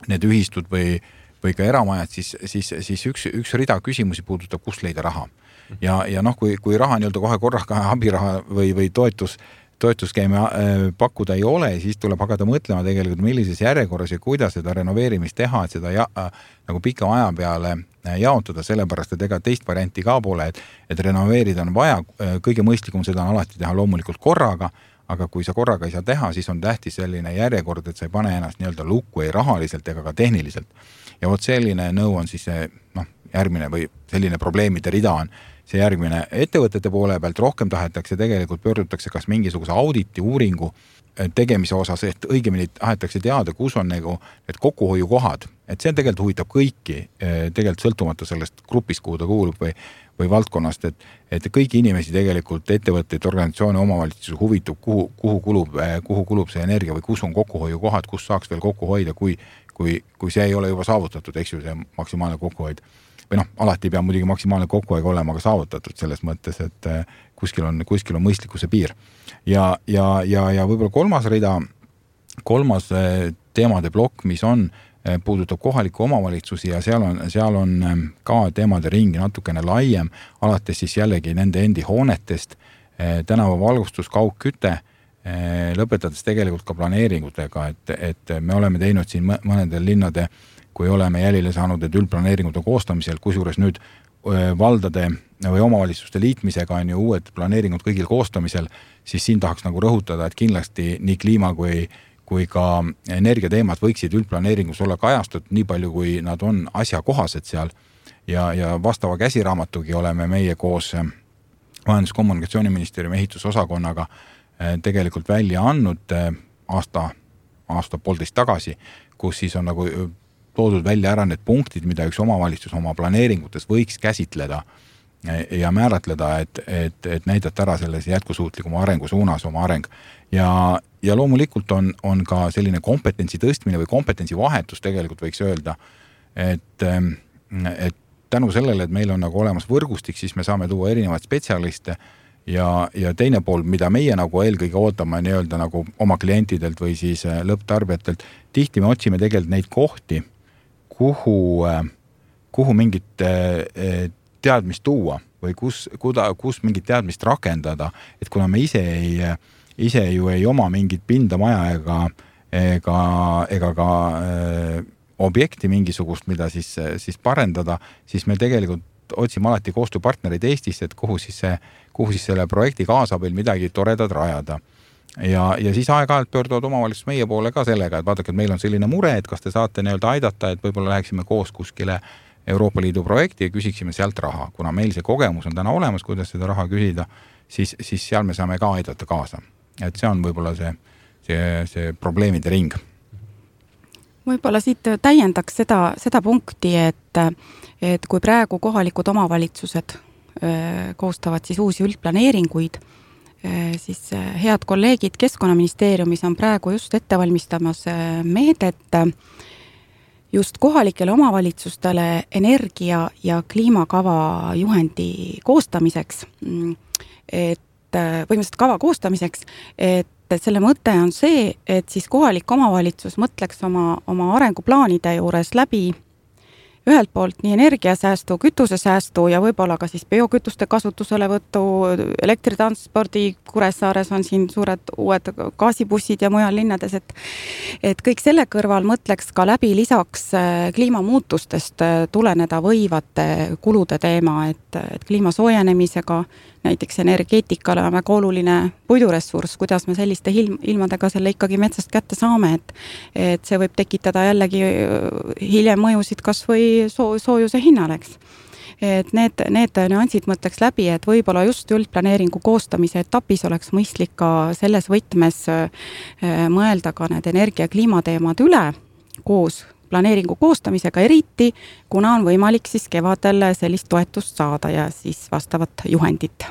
need ühistud või ka eramajad, siis üks rida küsimusi puudutab, kust leida raha. Ja kui raha nii-öelda kohe korraga abiraha või toetuskeemi pakkuda ei ole, siis tuleb hakata mõtlema tegelikult, millises järjekorras ja kuidas seda renoveerimist teha, et seda nagu pika aja peale jaotada, sellepärast, et ega teist varianti ka pole, et renoveerida on vaja, kõige mõistlikum seda on alati teha loomulikult korraga, aga kui sa korraga ei saa teha, siis on tähtis selline järjekord, et sa ei pane ennast nii-öelda lukku ei rahaliselt ega ka tehniliselt. Ja vot selline nõu on siis järgmine või selline probleemide rida on see järgmine. Ettevõtete poole pealt rohkem tahetakse tegelikult pöördutakse kas mingisuguse auditi uuringu tegemise osas, et õigemini tahetakse teada, kus on nagu need kokkuhoiukohad. Et see tegelikult huvitab kõiki, tegelikult sõltumata sellest grupist, kuhu ta kuulub või valdkonnast, et kõiki inimesi tegelikult ettevõtteid, organisatsioone, omavalitsusi huvitab, kuhu kulub see energia või kus on kokkuhoiukohad, kus saaks veel kokku hoida, kui see ei ole juba saavutatud, eks ju, see maksimaalne kokkuhoid. Või alati ei pea muidugi maksimaalne kokkuhoid olema ka saavutatud selles mõttes, et kuskil on mõistlikkuse piir. Ja võib-olla kolmas teemade plokk, mis puudutab kohaliku omavalitsusi ja seal on ka teemade ringi natukene laiem, alates siis jällegi nende endi hoonetest, tänava valgustus, kaugküte, lõpetades tegelikult ka planeeringutega, et me oleme teinud siin mõnedel linnade, kui oleme jälile saanud, et üldplaneeringute koostamisel, kusjuures nüüd valdade või omavalitsuste liitmisega on ju uued planeeringud kõigil koostamisel, siis siin tahaks nagu rõhutada, et kindlasti nii kliima kui ka energiateemad võiksid üldplaneeringus olla kajastatud nii palju, kui nad on asjakohased seal. Ja vastava käsiraamatugi oleme meie koos Majandus- ja Kommunikatsiooniministeeriumi ehitusosakonnaga tegelikult välja andnud aasta poolteist tagasi, kus siis on nagu toodud välja ära need punktid, mida üks omavalitsus oma planeeringutes võiks käsitleda ja määratleda, et näidata ära selles jätkusuutlikuma arengu suunas oma areng. Ja loomulikult on ka selline kompetentsi tõstmine või kompetentsi vahetus tegelikult võiks öelda, et tänu sellele, et meil on nagu olemas võrgustik, siis me saame tuua erinevaid spetsialiste ja teine pool, mida meie nagu eelkõige ootame nii-öelda nagu oma klientidelt või siis lõpptarbijatelt, tihti me otsime tegelikult neid kohti, kuhu mingit teadmist tuua või kus mingit teadmist rakendada, et kuna me ise ju ei oma mingit pinda maja ega ka objekti mingisugust, mida siis parendada, siis me tegelikult otsime alati koostööpartnerid Eestist, et kuhu siis selle projekti kaasabil midagi toredad rajada. Ja siis aeg-ajalt pöörduvad omavalitsus meie poole ka sellega, et vaadake, et meil on selline mure, et kas te saate aidata, et võib-olla läheksime koos kuskile Euroopa Liidu projekti ja küsiksime sealt raha. Kuna meil see kogemus on täna olemas, kuidas seda raha küsida, siis seal me saame ka aidata kaasa. Et see on võib-olla see probleemide ring. Võib-olla siit täiendaks seda punkti, et kui praegu kohalikud omavalitsused koostavad siis uusi üldplaneeringuid, siis head kolleegid Keskkonnaministeeriumis on praegu just ettevalmistamas meedet just kohalikele omavalitsustele energia- ja kliimakava juhendi koostamiseks, põhimõtteliselt kava koostamiseks, et selle mõte on see, et siis kohalik omavalitsus mõtleks oma arenguplaanide juures läbi ühelt poolt nii energiasäästu, kütusesäästu ja võib-olla ka siis biokütuste kasutuselevõttu, elektritranspordi, Kuressaares on siin suured uued gaasibussid ja mujal linnades, et kõik selle kõrval mõtleks ka läbi lisaks kliimamuutustest tuleneda võivate kulude teema, et kliima soojenemisega, näiteks energeetikale on väga oluline puiduressurss, kuidas me selliste ilmadega selle ikkagi metsast kätte saame, et see võib tekitada jällegi hiljem mõjusid kas või soojuse hinnaleks. Et need nüansid mõtleks läbi, et võib-olla just üldplaneeringu koostamise etapis oleks mõistlik ka selles võtmes mõelda ka need energia- ja kliimateemad üle koos planeeringu koostamisega, eriti kuna on võimalik siis kevadel sellist toetust saada ja siis vastavat juhendit.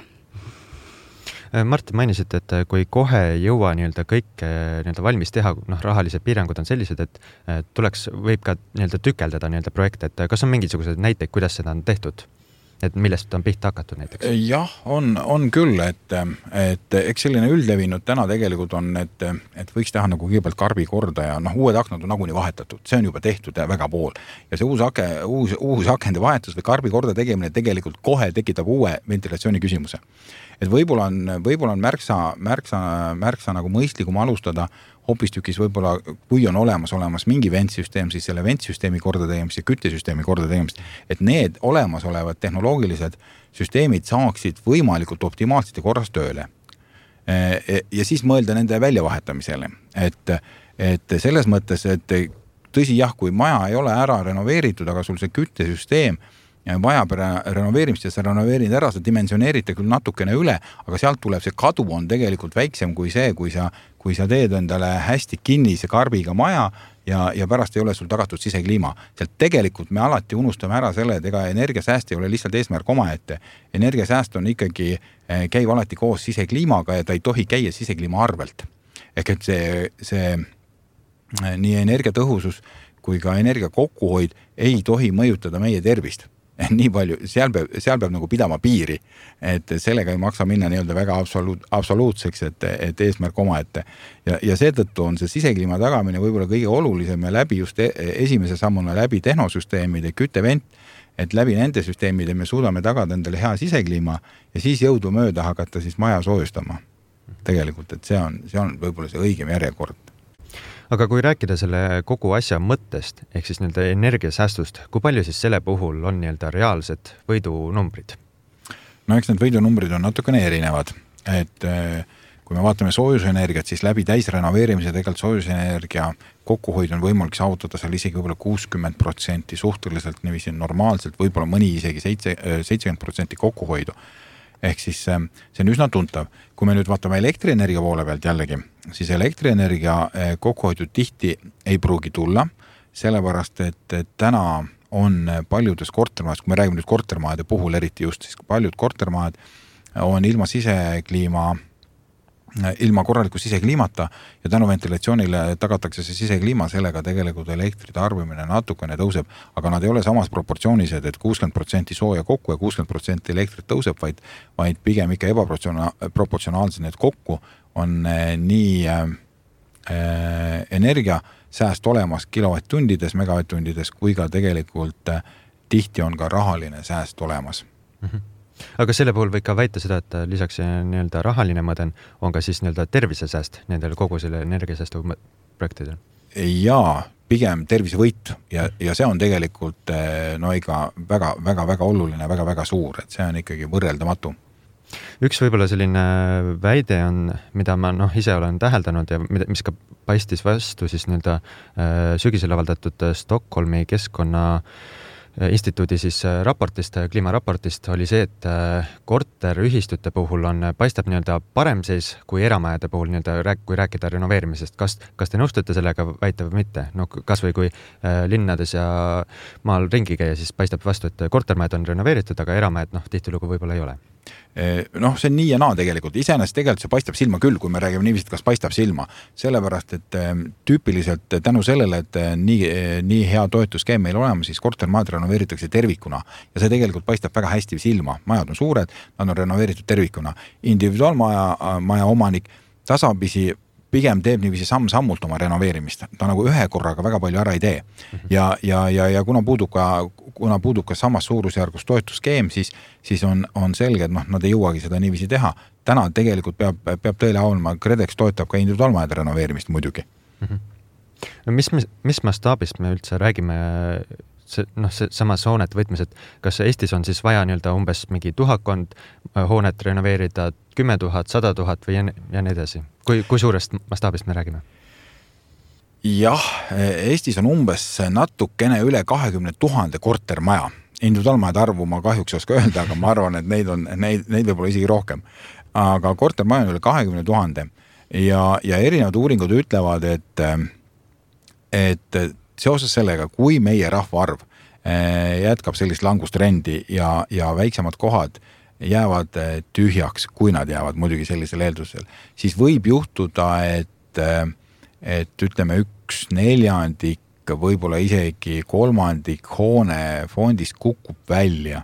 Mart, mainisite, et kui kohe ei jõua kõik valmis teha, rahalised piirangud on sellised, et võib ka tükeldada projekte, et kas on mingisugused näiteid, kuidas seda on tehtud? Et millest on pihta hakatud näiteks? Jah, on küll, et eks selline üldlevinud täna tegelikult on, et võiks teha nagu kõigepealt karbi korda ja uued aknad on nagunii vahetatud, see on juba tehtud ja väga pool. Ja see uus akende vahetus või karbi korda tegemine tegelikult kohe tekitab uue ventilatsiooni küsimuse. Et võib-olla on märksa nagu mõistlikum alustada hoopistükis võib-olla, kui on olemas mingi ventsüsteem, siis selle ventsüsteemi korda tegemist ja küttesüsteemi korda tegemist, et need olemasolevad tehnoloogilised süsteemid saaksid võimalikult optimaalselt ja korras tööle. Ja siis mõelda nende väljavahetamisele. Et selles mõttes, et tõsi jah, kui maja ei ole ära renoveeritud, aga sul see küttesüsteem vajab renoveerimist ja sa renoveerid ära, sa dimensioneerite küll natukene üle, aga sealt tuleb see kadu on tegelikult väiksem kui see, kui sa teed endale hästi kinnise karbiga maja ja pärast ei ole sul tagatud sisekliima. Sealt tegelikult me alati unustame ära selle, et ega energiasääst ei ole lihtsalt eesmärk omaette. Energiasääst on ikkagi, käib alati koos sisekliimaga ja ta ei tohi käia sisekliima arvelt. Ehk et see nii energiatõhusus kui ka energia kokkuhoid ei tohi mõjutada meie tervist. Nii palju, seal peab nagu pidama piiri, et sellega ei maksa minna väga absoluutseks, et eesmärk omaette. Ja seetõttu on see sisekliima tagamine võib-olla kõige olulisem ja läbi just esimese sammuna läbi tehnosüsteemide, küttevent, et läbi nende süsteemide me suudame tagada endale hea sisekliima ja siis jõudu mööda hakata siis maja soojustama. Tegelikult, et see on võib-olla see õigem järjekord. Aga kui rääkida selle kogu asja mõttest, ehk siis energiasäästust, kui palju siis selle puhul on reaalsed võidunumbrid? No eks need võidunumbrid on natukene erinevad, et kui me vaatame soojusenergiat, siis läbi täisrenoveerimise tegelikult soojusenergia kokkuhoid on võimalik saavutada seal isegi võib-olla 60% suhteliselt niiviisi normaalselt, võib-olla mõni isegi 70% kokkuhoidu. Ehk siis see on üsna tuntav. Kui me nüüd vaatame elektrienergia poole pealt jällegi, siis elektrienergia kokkuhoidu tihti ei pruugi tulla, sellepärast, et täna on paljudes kortermaades, kui me räägime nüüd kortermaade puhul eriti just, siis paljud kortermaad on ilma korraliku sisekliimata ja tänu ventilatsioonile tagatakse see sisekliima, sellega tegelikult elektri tarbimine natukene tõuseb, aga nad ei ole samas proportsioonised, et 60% sooja kokku ja 60% elektrit tõuseb, vaid pigem ikka ebaproportsionaalsed need kokku on nii energiasääst olemas kilovatt-tundides, megavatt-tundides, kui ka tegelikult tihti on ka rahaline sääst olemas. Aga selle puhul võib ka väita seda, et lisaks nii-öelda rahaline mõõde on ka siis nii-öelda tervisesääst nendel kogu selle energiasäästu projektidel? Jaa, pigem tervisevõit ja see on tegelikult ikka väga oluline, väga suur, et see on ikkagi võrreldamatu. Üks võib-olla selline väide on, mida ma ise olen täheldanud ja mis ka paistis vastu siis nii-öelda sügisel avaldatud Stockholmi keskkonna instituudi siis raportist, kliimaraportist oli see, et korterühistute puhul paistab nii-öelda parem seis kui eramajade puhul nii-öelda, kui rääkida renoveerimisest. Kas te nõustute sellega väita või mitte? Kas või kui linnades ja maal ringi käia, siis paistab vastu, et kortermajad on renoveeritud, aga eramajad tihtilugu võib-olla ei ole. See on nii ja naa tegelikult. Iseenesest tegelikult see paistab silma küll, kui me räägime niiviisi, kas paistab silma. Sellepärast, et tüüpiliselt tänu sellele, et nii hea toetuskeem meil olema, siis kortermajad renoveeritakse tervikuna. Ja see tegelikult paistab väga hästi silma. Majad on suured, nad on renoveeritud tervikuna. Individuaalmaja omanik tasapisi pigem teeb niiviisi samm-sammult oma renoveerimist. Ta nagu ühe korraga väga palju ära ei tee. Ja kuna puudub ka samas suurusjärgus toetuskeem, siis on selge, et nad ei jõuagi seda niiviisi teha. Täna tegelikult peab tõele olema, KredEx toetab ka individuaalmajade renoveerimist muidugi. Mis mastaabist me üldse räägime samas hoonete võtmes, et kas Eestis on siis vaja nii-öelda umbes mingi 1000 hoonet renoveerida, 10 000, 100 000 või ja nii edasi? Kui suurest mastaabist me räägime? Jah, Eestis on umbes natukene üle 20 000 kortermaja. Individuaalmajade arvu ma kahjuks oska öelda, aga ma arvan, et neid võib-olla isegi rohkem. Aga kortermaja on üle 20 000 ja erinevad uuringud ütlevad, et seoses sellega, kui meie rahvaarv jätkab sellist langustrendi ja väiksemad kohad jäävad tühjaks, kui nad jäävad muidugi sellisel eeldusel, siis võib juhtuda, et ütleme 1/4, võib-olla isegi 1/3 hoone fondist kukub välja.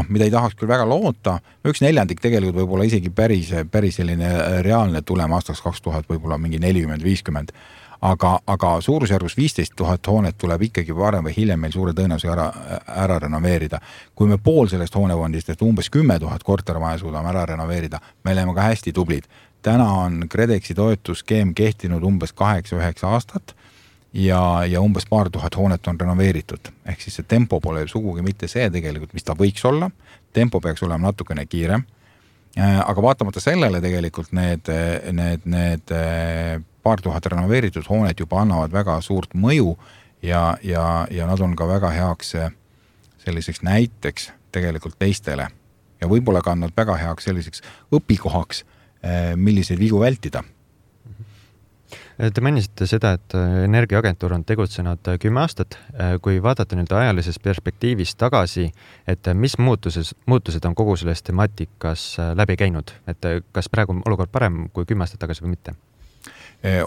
Mida ei tahaks küll väga loota, 1/4 tegelikult võib-olla isegi päris selline reaalne tulem aastaks 2000, võib-olla mingi 40-50. Aga suurusjärgus 15 000 hoonet tuleb ikkagi varem või hiljem meil suure tõenäosusega ära renoveerida. Kui me pool sellest hoonefondist, et umbes 10 000 kortermaja suudame ära renoveerida, me oleme ka hästi tublid. Täna on KredExi toetuskeem kehtinud umbes 8-9 aastat ja umbes paar tuhat hoonet on renoveeritud. Ehk siis see tempo pole sugugi mitte see tegelikult, mis ta võiks olla. Tempo peaks olema natukene kiirem. Aga vaatamata sellele tegelikult need paar tuhat renoveeritud hoonet juba annavad väga suurt mõju ja nad on ka väga heaks selliseks näiteks tegelikult teistele. Ja võib-olla ka nad väga heaks selliseks õpikohaks, milliseid vigu vältida. Te mainisite seda, et Energiaagentuur on tegutsenud 10 aastat. Kui vaadata nüüd ajalises perspektiivis tagasi, et mis muutused on kogu selles temaatikas läbi käinud? Et kas praegu on olukord parem kui 10 aastat tagasi või mitte?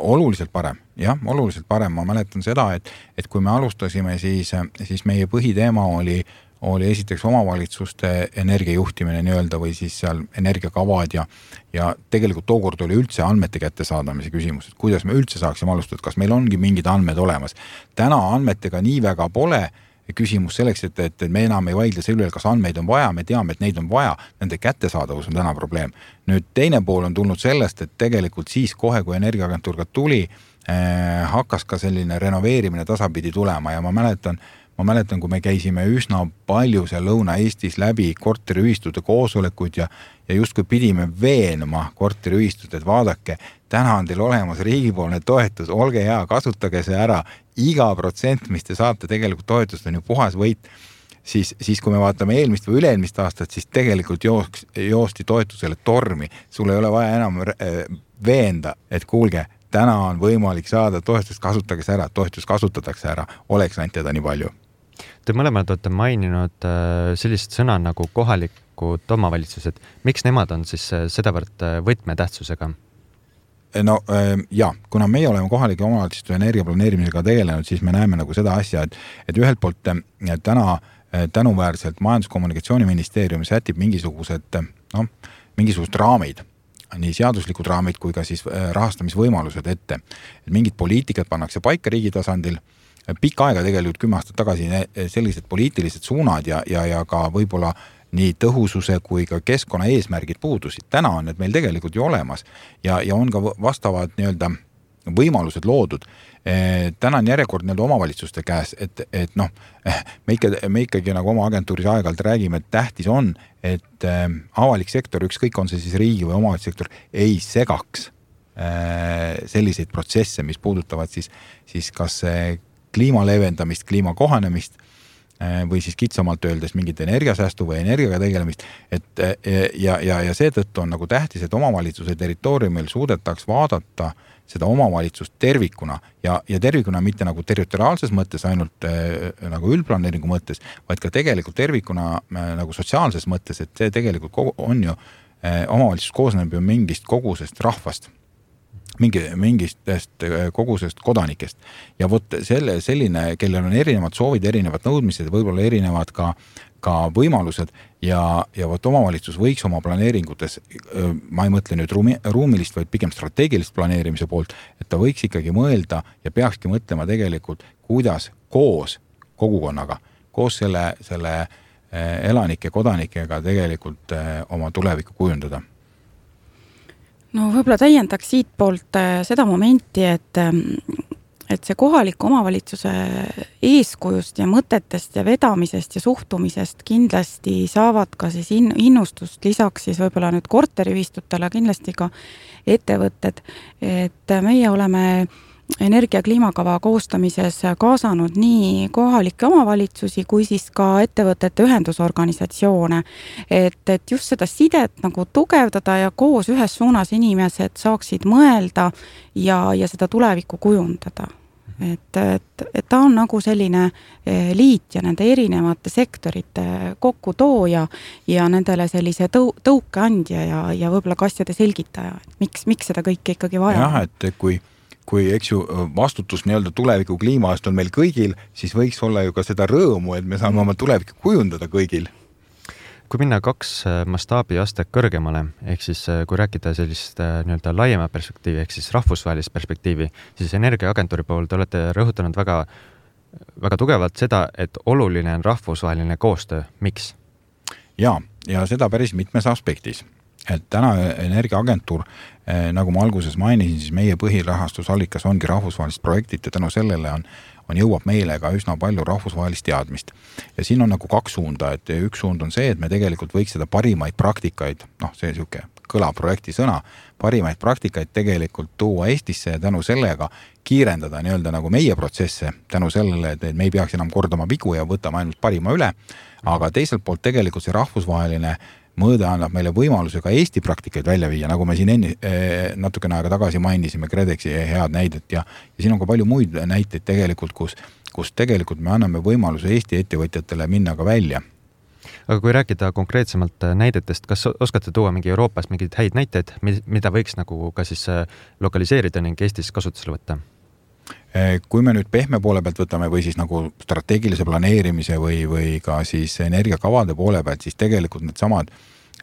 Oluliselt parem, jah, oluliselt parem. Ma mäletan seda, et kui me alustasime, siis meie põhiteema oli esiteks omavalitsuste energiajuhtimine nii-öelda või siis seal energiakavad ja tegelikult tookord oli üldse andmete kättesaadamise küsimus, et kuidas me üldse saaksime alustada, kas meil ongi mingid andmed olemas. Täna andmetega nii väga pole küsimus selleks, et me enam ei vaidle selle üle, kas andmeid on vaja, me teame, et neid on vaja, nende kättesaadavus on täna probleem. Nüüd teine pool on tulnud sellest, et tegelikult siis kohe, kui Energiaagentuur ka tuli, hakkas ka selline renoveerimine tasapidi tulema ja ma mäletan, kui me käisime üsna palju seal Lõuna-Eestis läbi korteriühistute koosolekuid ja justkui pidime veenma korteriühistut, et vaadake, täna on teil olemas riigipoolne toetus, olge hea, kasutage see ära, iga protsent, mis te saate tegelikult toetust, on ju puhas võit. Siis kui me vaatame eelmist või üle-eelmist aastat, siis tegelikult joosti toetusele tormi. Sul ei ole vaja enam veenda, et kuulge, täna on võimalik saada toetust, kasutage see ära, toetus kasutatakse ära, oleks ainult teda nii palju. Te mõlemad olete maininud sellist sõna nagu kohalikud omavalitsused. Miks nemad on siis sedavõrd võtmetähtsusega? Kuna meie oleme kohalike omavalitsuste energiaplaneerimisega tegelenud, siis me näeme nagu seda asja, et ühelt poolt täna tänuväärselt Majandus-Kommunikatsiooniministeerium sätib mingisugused raamid, nii seaduslikud raamid kui ka siis rahastamisvõimalused ette. Et mingid poliitikad pannakse paika riigi tasandil, pikka aega tegelikult 10 aastat tagasi sellised poliitilised suunad ja ka võib-olla nii tõhususe kui ka keskkonna eesmärgid puudusid. Täna on need meil tegelikult ju olemas ja on ka vastavad nii-öelda võimalused loodud. Täna on järjekord nii-öelda omavalitsuste käes, et noh, me ikkagi nagu oma agentuuris aeg-ajalt räägime, et tähtis on, et avalik sektor, ükskõik on see siis riigi või omavalitsussektor, ei segaks selliseid protsesse, mis puudutavad siis kas kliima leevendamist, kliima kohanemist või siis kitsamalt öeldes mingit energiasäästu või energiaga tegelemist, ja seetõttu on nagu tähtis, et omavalitsuse territooriumil suudetaks vaadata seda omavalitsust tervikuna ja tervikuna mitte nagu territoriaalses mõttes, ainult nagu üldplaneeringu mõttes, vaid ka tegelikult tervikuna nagu sotsiaalses mõttes, et see tegelikult on ju, omavalitsus koosneb ju mingist kogusest rahvast, mingist kogusest kodanikest. Ja vot selline, kellel on erinevad soovid, erinevad nõudmised, võib-olla erinevad ka võimalused ja vot omavalitsus võiks oma planeeringutes, ma ei mõtle nüüd ruumilist, vaid pigem strateegilist planeerimise poolt, et ta võiks ikkagi mõelda ja peakski mõtlema tegelikult, kuidas koos kogukonnaga, koos selle elanike, kodanikega tegelikult oma tulevikku kujundada. No võib-olla täiendaks siit poolt seda momenti, et see kohaliku omavalitsuse eeskujust ja mõtetest ja vedamisest ja suhtumisest kindlasti saavad ka siis innustust lisaks siis võib-olla nüüd korteriühistutele kindlasti ka ettevõtted, et meie oleme energia- kliimakava koostamises kaasanud nii kohalikke omavalitsusi kui siis ka ettevõtete ühendusorganisatsioone, et just seda sidet nagu tugevdada ja koos ühes suunas inimesed saaksid mõelda ja seda tulevikku kujundada. Et ta on nagu selline liit ja nende erinevate sektorite kokkutooja ja nendele sellise tõukeandja ja võib-olla ka asjade selgitaja, et miks seda kõike ikkagi vaja. Jah, et kui eks ju vastutus nii-öelda tuleviku kliimaast on meil kõigil, siis võiks olla ju ka seda rõõmu, et me saame oma tulevikku kujundada kõigil. Kui minna 2 mastaabiastet kõrgemale, ehk siis kui rääkida sellist nii-öelda laiema perspektiivi, ehk siis rahvusvahelist perspektiivi, siis Energiaagentuuri pool te olete rõhutanud väga, väga tugevalt seda, et oluline on rahvusvaheline koostöö. Miks? Ja seda päris mitmes aspektis. Et täna Energiaagentuur, nagu ma alguses mainisin, siis meie põhirahastusallikas ongi rahvusvahelist projektit ja tänu sellele jõuab meile ka üsna palju rahvusvahelist teadmist. Ja siin on nagu 2 suunda, et üks suund on see, et me tegelikult võiks seda parimaid praktikaid, see siuke kõla projekti sõna, parimaid praktikaid tegelikult tuua Eestisse ja tänu sellega kiirendada nii-öelda nagu meie protsesse, tänu sellele, et me ei peaks enam kordama vigu ja võtame ainult parima üle, aga teiselt poolt tegelikult see rahvusvaheline mõõde annab meile võimaluse ka Eesti praktikaid välja viia, nagu me siin natukene aega tagasi mainisime KredExi head näidet ja siin on ka palju muid näiteid tegelikult, kus tegelikult me anname võimaluse Eesti ettevõtjatele minna ka välja. Aga kui rääkida konkreetsemalt näidetest, kas oskate tuua mingi Euroopas mingeid häid näiteid, mida võiks nagu ka siis lokaliseerida ning Eestis kasutusele võtta? Kui me nüüd pehme poole pealt võtame või siis nagu strateegilise planeerimise või ka siis energiakavade poole pealt, siis tegelikult need samad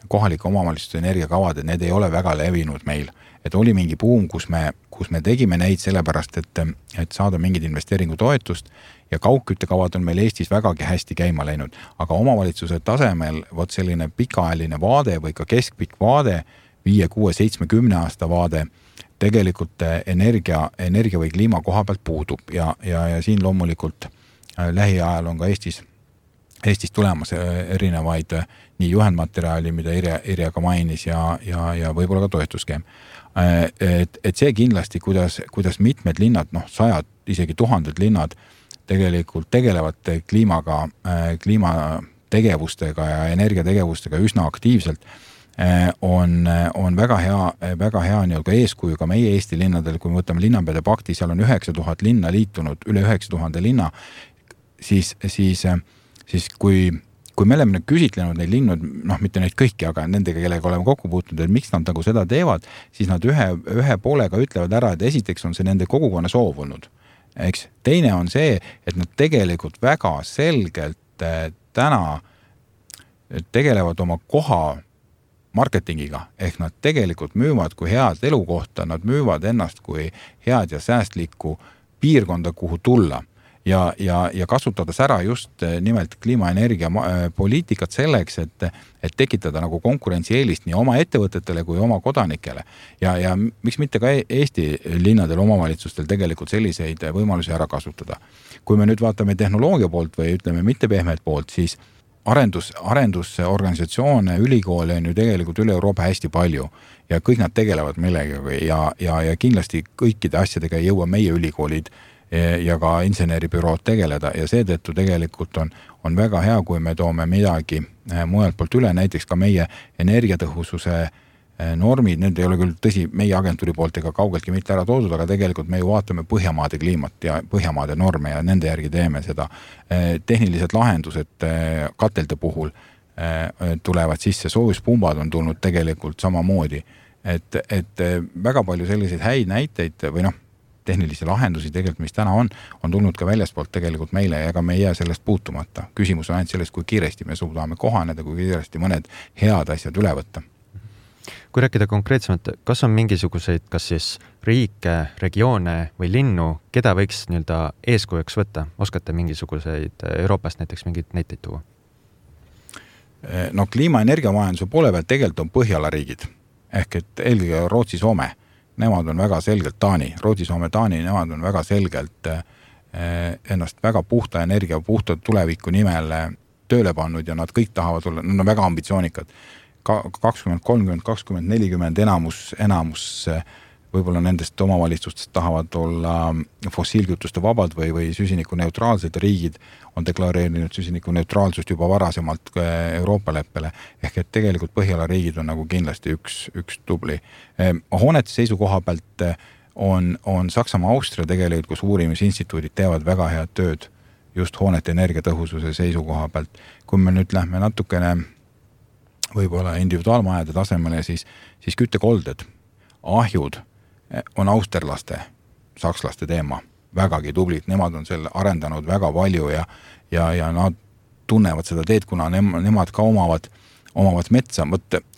kohalike omavalitsuste energiakavad, et need ei ole väga levinud meil. Et oli mingi buum, kus me tegime neid sellepärast, et saada mingid investeeringutoetust ja kaugküttekavad on meil Eestis vägagi hästi käima läinud. Aga omavalitsuse tasemel vot selline pikaajaline vaade või ka keskpikk vaade, 5, 6, 7, 10 aasta vaade, tegelikult energia või kliima koha pealt puudub ja siin loomulikult lähiajal on ka Eestis tulemas erinevaid nii juhendmaterjali, mida Irja ka mainis ja võib-olla ka toetuskeem. Et see kindlasti, kuidas mitmed linnad, 100, isegi 1000 linnad tegelikult tegelevad kliimategevustega ja energiategevustega üsna aktiivselt, on väga hea nii-öelda eeskuju ka meie Eesti linnadel, kui me võtame linnapeade pakti, seal on 9000 linna liitunud, üle 9000 linna, siis kui me oleme küsitlenud neid linnud, mitte neid kõiki, aga nendega, kellega oleme kokku puutunud, et miks nad nagu seda teevad, siis nad ühe poolega ütlevad ära, et esiteks on see nende kogukonna soov olnud. Eks? Teine on see, et nad tegelikult väga selgelt täna tegelevad oma koha marketingiga, ehk nad tegelikult müüvad kui head elukohta, nad müüvad ennast kui head ja säästlikku piirkonda, kuhu tulla. ja kasutades ära just nimelt kliimaenergia poliitikat selleks, et tekitada nagu konkurentsieelist nii oma ettevõtetele kui oma kodanikele. Ja miks mitte ka Eesti linnadel, omavalitsustel tegelikult selliseid võimalusi ära kasutada. Kui me nüüd vaatame tehnoloogia poolt või ütleme mitte pehmet poolt, siis arendusorganisatsioone, ülikoole on ju tegelikult üle Euroopa hästi palju ja kõik nad tegelevad millegagi ja kindlasti kõikide asjadega ei jõua meie ülikoolid ja ka inseneribürood tegeleda ja seetõttu tegelikult on väga hea, kui me toome midagi mujalt poolt üle, näiteks ka meie energiatõhususe normid, need ei ole küll tõsi meie agentuuri poolt ega kaugeltki mitte ära toodud, aga tegelikult me ju vaatame Põhjamaade kliimat ja Põhjamaade norme ja nende järgi teeme seda. Tehnilised lahendused katelde puhul tulevad sisse, soojuspumbad on tulnud tegelikult samamoodi, et väga palju selliseid häid näiteid või tehnilisi lahendusi tegelikult, mis täna on tulnud ka väljaspoolt tegelikult meile ja ega me ei jää sellest puutumata. Küsimus on ainult sellest, kui kiiresti me suudame kohaneda, kui kiiresti mõned head asjad üle võtta. Kui rääkida konkreetsemalt, kas on mingisuguseid, kas siis riike, regioone või linnu, keda võiks eeskujuks võtta? Oskate mingisuguseid Euroopast näiteks mingid näiteid tuua? Kliimaenergiamajanduse poole pealt tegelikult on Põhjala riigid. Ehk et eelkõige Rootsi, Soome. Nemad on väga selgelt Rootsi, Soome, Taani, nemad on väga selgelt ennast väga puhta energia, puhta tuleviku nimel tööle pannud ja nad kõik tahavad olla, nad on väga ambitsioonikad. 2030, 2040 enamus võib-olla nendest omavalitsustest tahavad olla fossiilkütuste vabad või süsinikuneutraalsed riigid on deklareerinud süsinikuneutraalsust juba varasemalt Euroopa leppele. Ehk et tegelikult Põhjala riigid on nagu kindlasti üks tubli. Hoonete seisukoha pealt on Saksamaa, Austria tegelikult, kus uurimisinstituudid teevad väga head tööd just hoonete energiatõhususe seisukoha pealt. Kui me nüüd lähme natukene võib-olla individuaalmajade tasemele, siis küttekolded, ahjud on austerlaste, sakslaste teema, vägagi tublid, nemad on selle arendanud väga palju ja nad tunnevad seda teed, kuna nemad ka omavad metsa.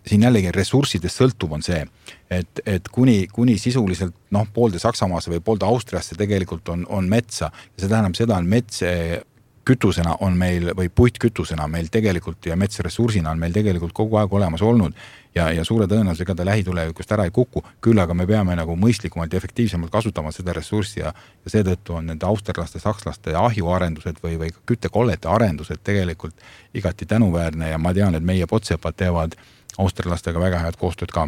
Siin jällegi ressurssidest sõltub on see, et kuni sisuliselt poolde Saksamaasse või poolde Austriasse tegelikult on metsa ja see tähendab seda, on mets kütusena on meil või puitkütusena meil tegelikult ja metsressursina on meil tegelikult kogu aeg olemas olnud ja suure tõenäosusega ta lähitulevikust ära ei kuku, küll aga me peame nagu mõistlikumalt ja efektiivsemalt kasutama seda ressurssi ja seetõttu on nende austerlaste, sakslaste ahjuarendused või küttekollete arendused tegelikult igati tänuväärne ja ma tean, et meie potsepad teevad austerlastega väga head koostööd ka.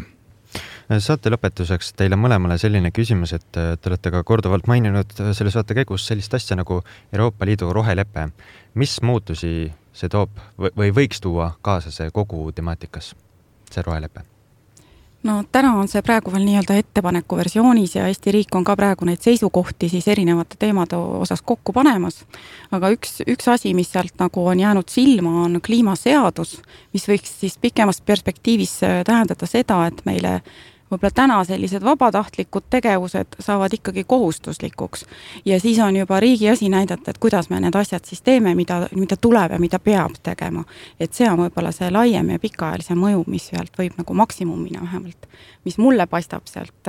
Saate lõpetuseks teile mõlemale selline küsimus, et te olete ka korduvalt maininud selle saate käigus sellist asja nagu Euroopa Liidu rohelepe. Mis muutusi see toob või võiks tuua kaasa see kogu temaatikas, see rohelepe? Täna on see praegu veel nii-öelda ettepaneku versioonis ja Eesti riik on ka praegu neid seisukohti siis erinevate teemade osas kokku panemas. Aga üks asi, mis sealt nagu on jäänud silma, on kliimaseadus, mis võiks siis pikemas perspektiivis tähendada seda, et meile võib-olla täna sellised vabatahtlikud tegevused saavad ikkagi kohustuslikuks ja siis on juba riigi asi näidata, et kuidas me need asjad siis teeme, mida tuleb ja mida peab tegema. Et see on võib-olla see laiem ja pikaajalise mõju, mis sealt võib nagu maksimumina vähemalt, mis mulle paistab sealt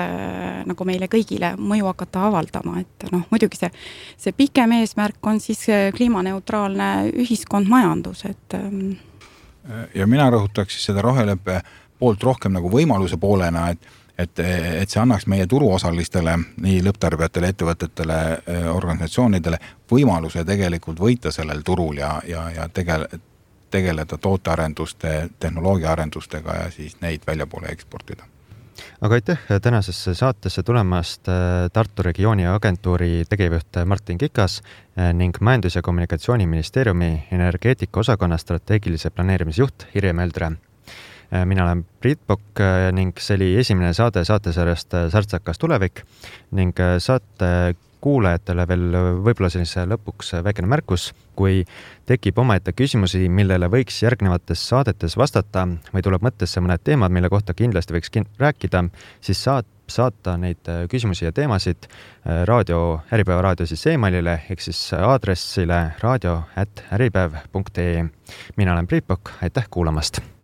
nagu meile kõigile mõju hakata avaldama, et muidugi see pikem eesmärk on siis kliimaneutraalne ühiskond, majandus, et ja mina rõhutaks siis seda roheleppe poolt rohkem nagu võimaluse poolena, et see annaks meie turuosalistele, nii lõpptarbijatele, ettevõtetele, organisatsioonidele võimaluse tegelikult võita sellel turul ja tegeleda tootearenduste, tehnoloogiaarendustega ja siis neid väljapoole eksportida. Aga aitäh tänasesse saatesse tulemast Tartu regiooni agentuuri tegevjuht Martin Kikas ning Majandus- ja Kommunikatsiooniministeeriumi energeetika osakonna strateegilise planeerimisjuht Irje Möldre. Mina olen Priit Pokk ning see oli esimene saatesarjast Särtsakas tulevik ning saate kuulajatele veel võib-olla sellise lõpuks väikene märkus, kui tekib omaette küsimusi, millele võiks järgnevates saadetes vastata või tuleb mõttesse mõned teemad, mille kohta kindlasti võiks rääkida, siis saata neid küsimusi ja teemasid Äripäeva raadio siis emailile ehk siis aadressile radio@äripäev.ee. Mina olen Priit Pokk, aitäh kuulamast!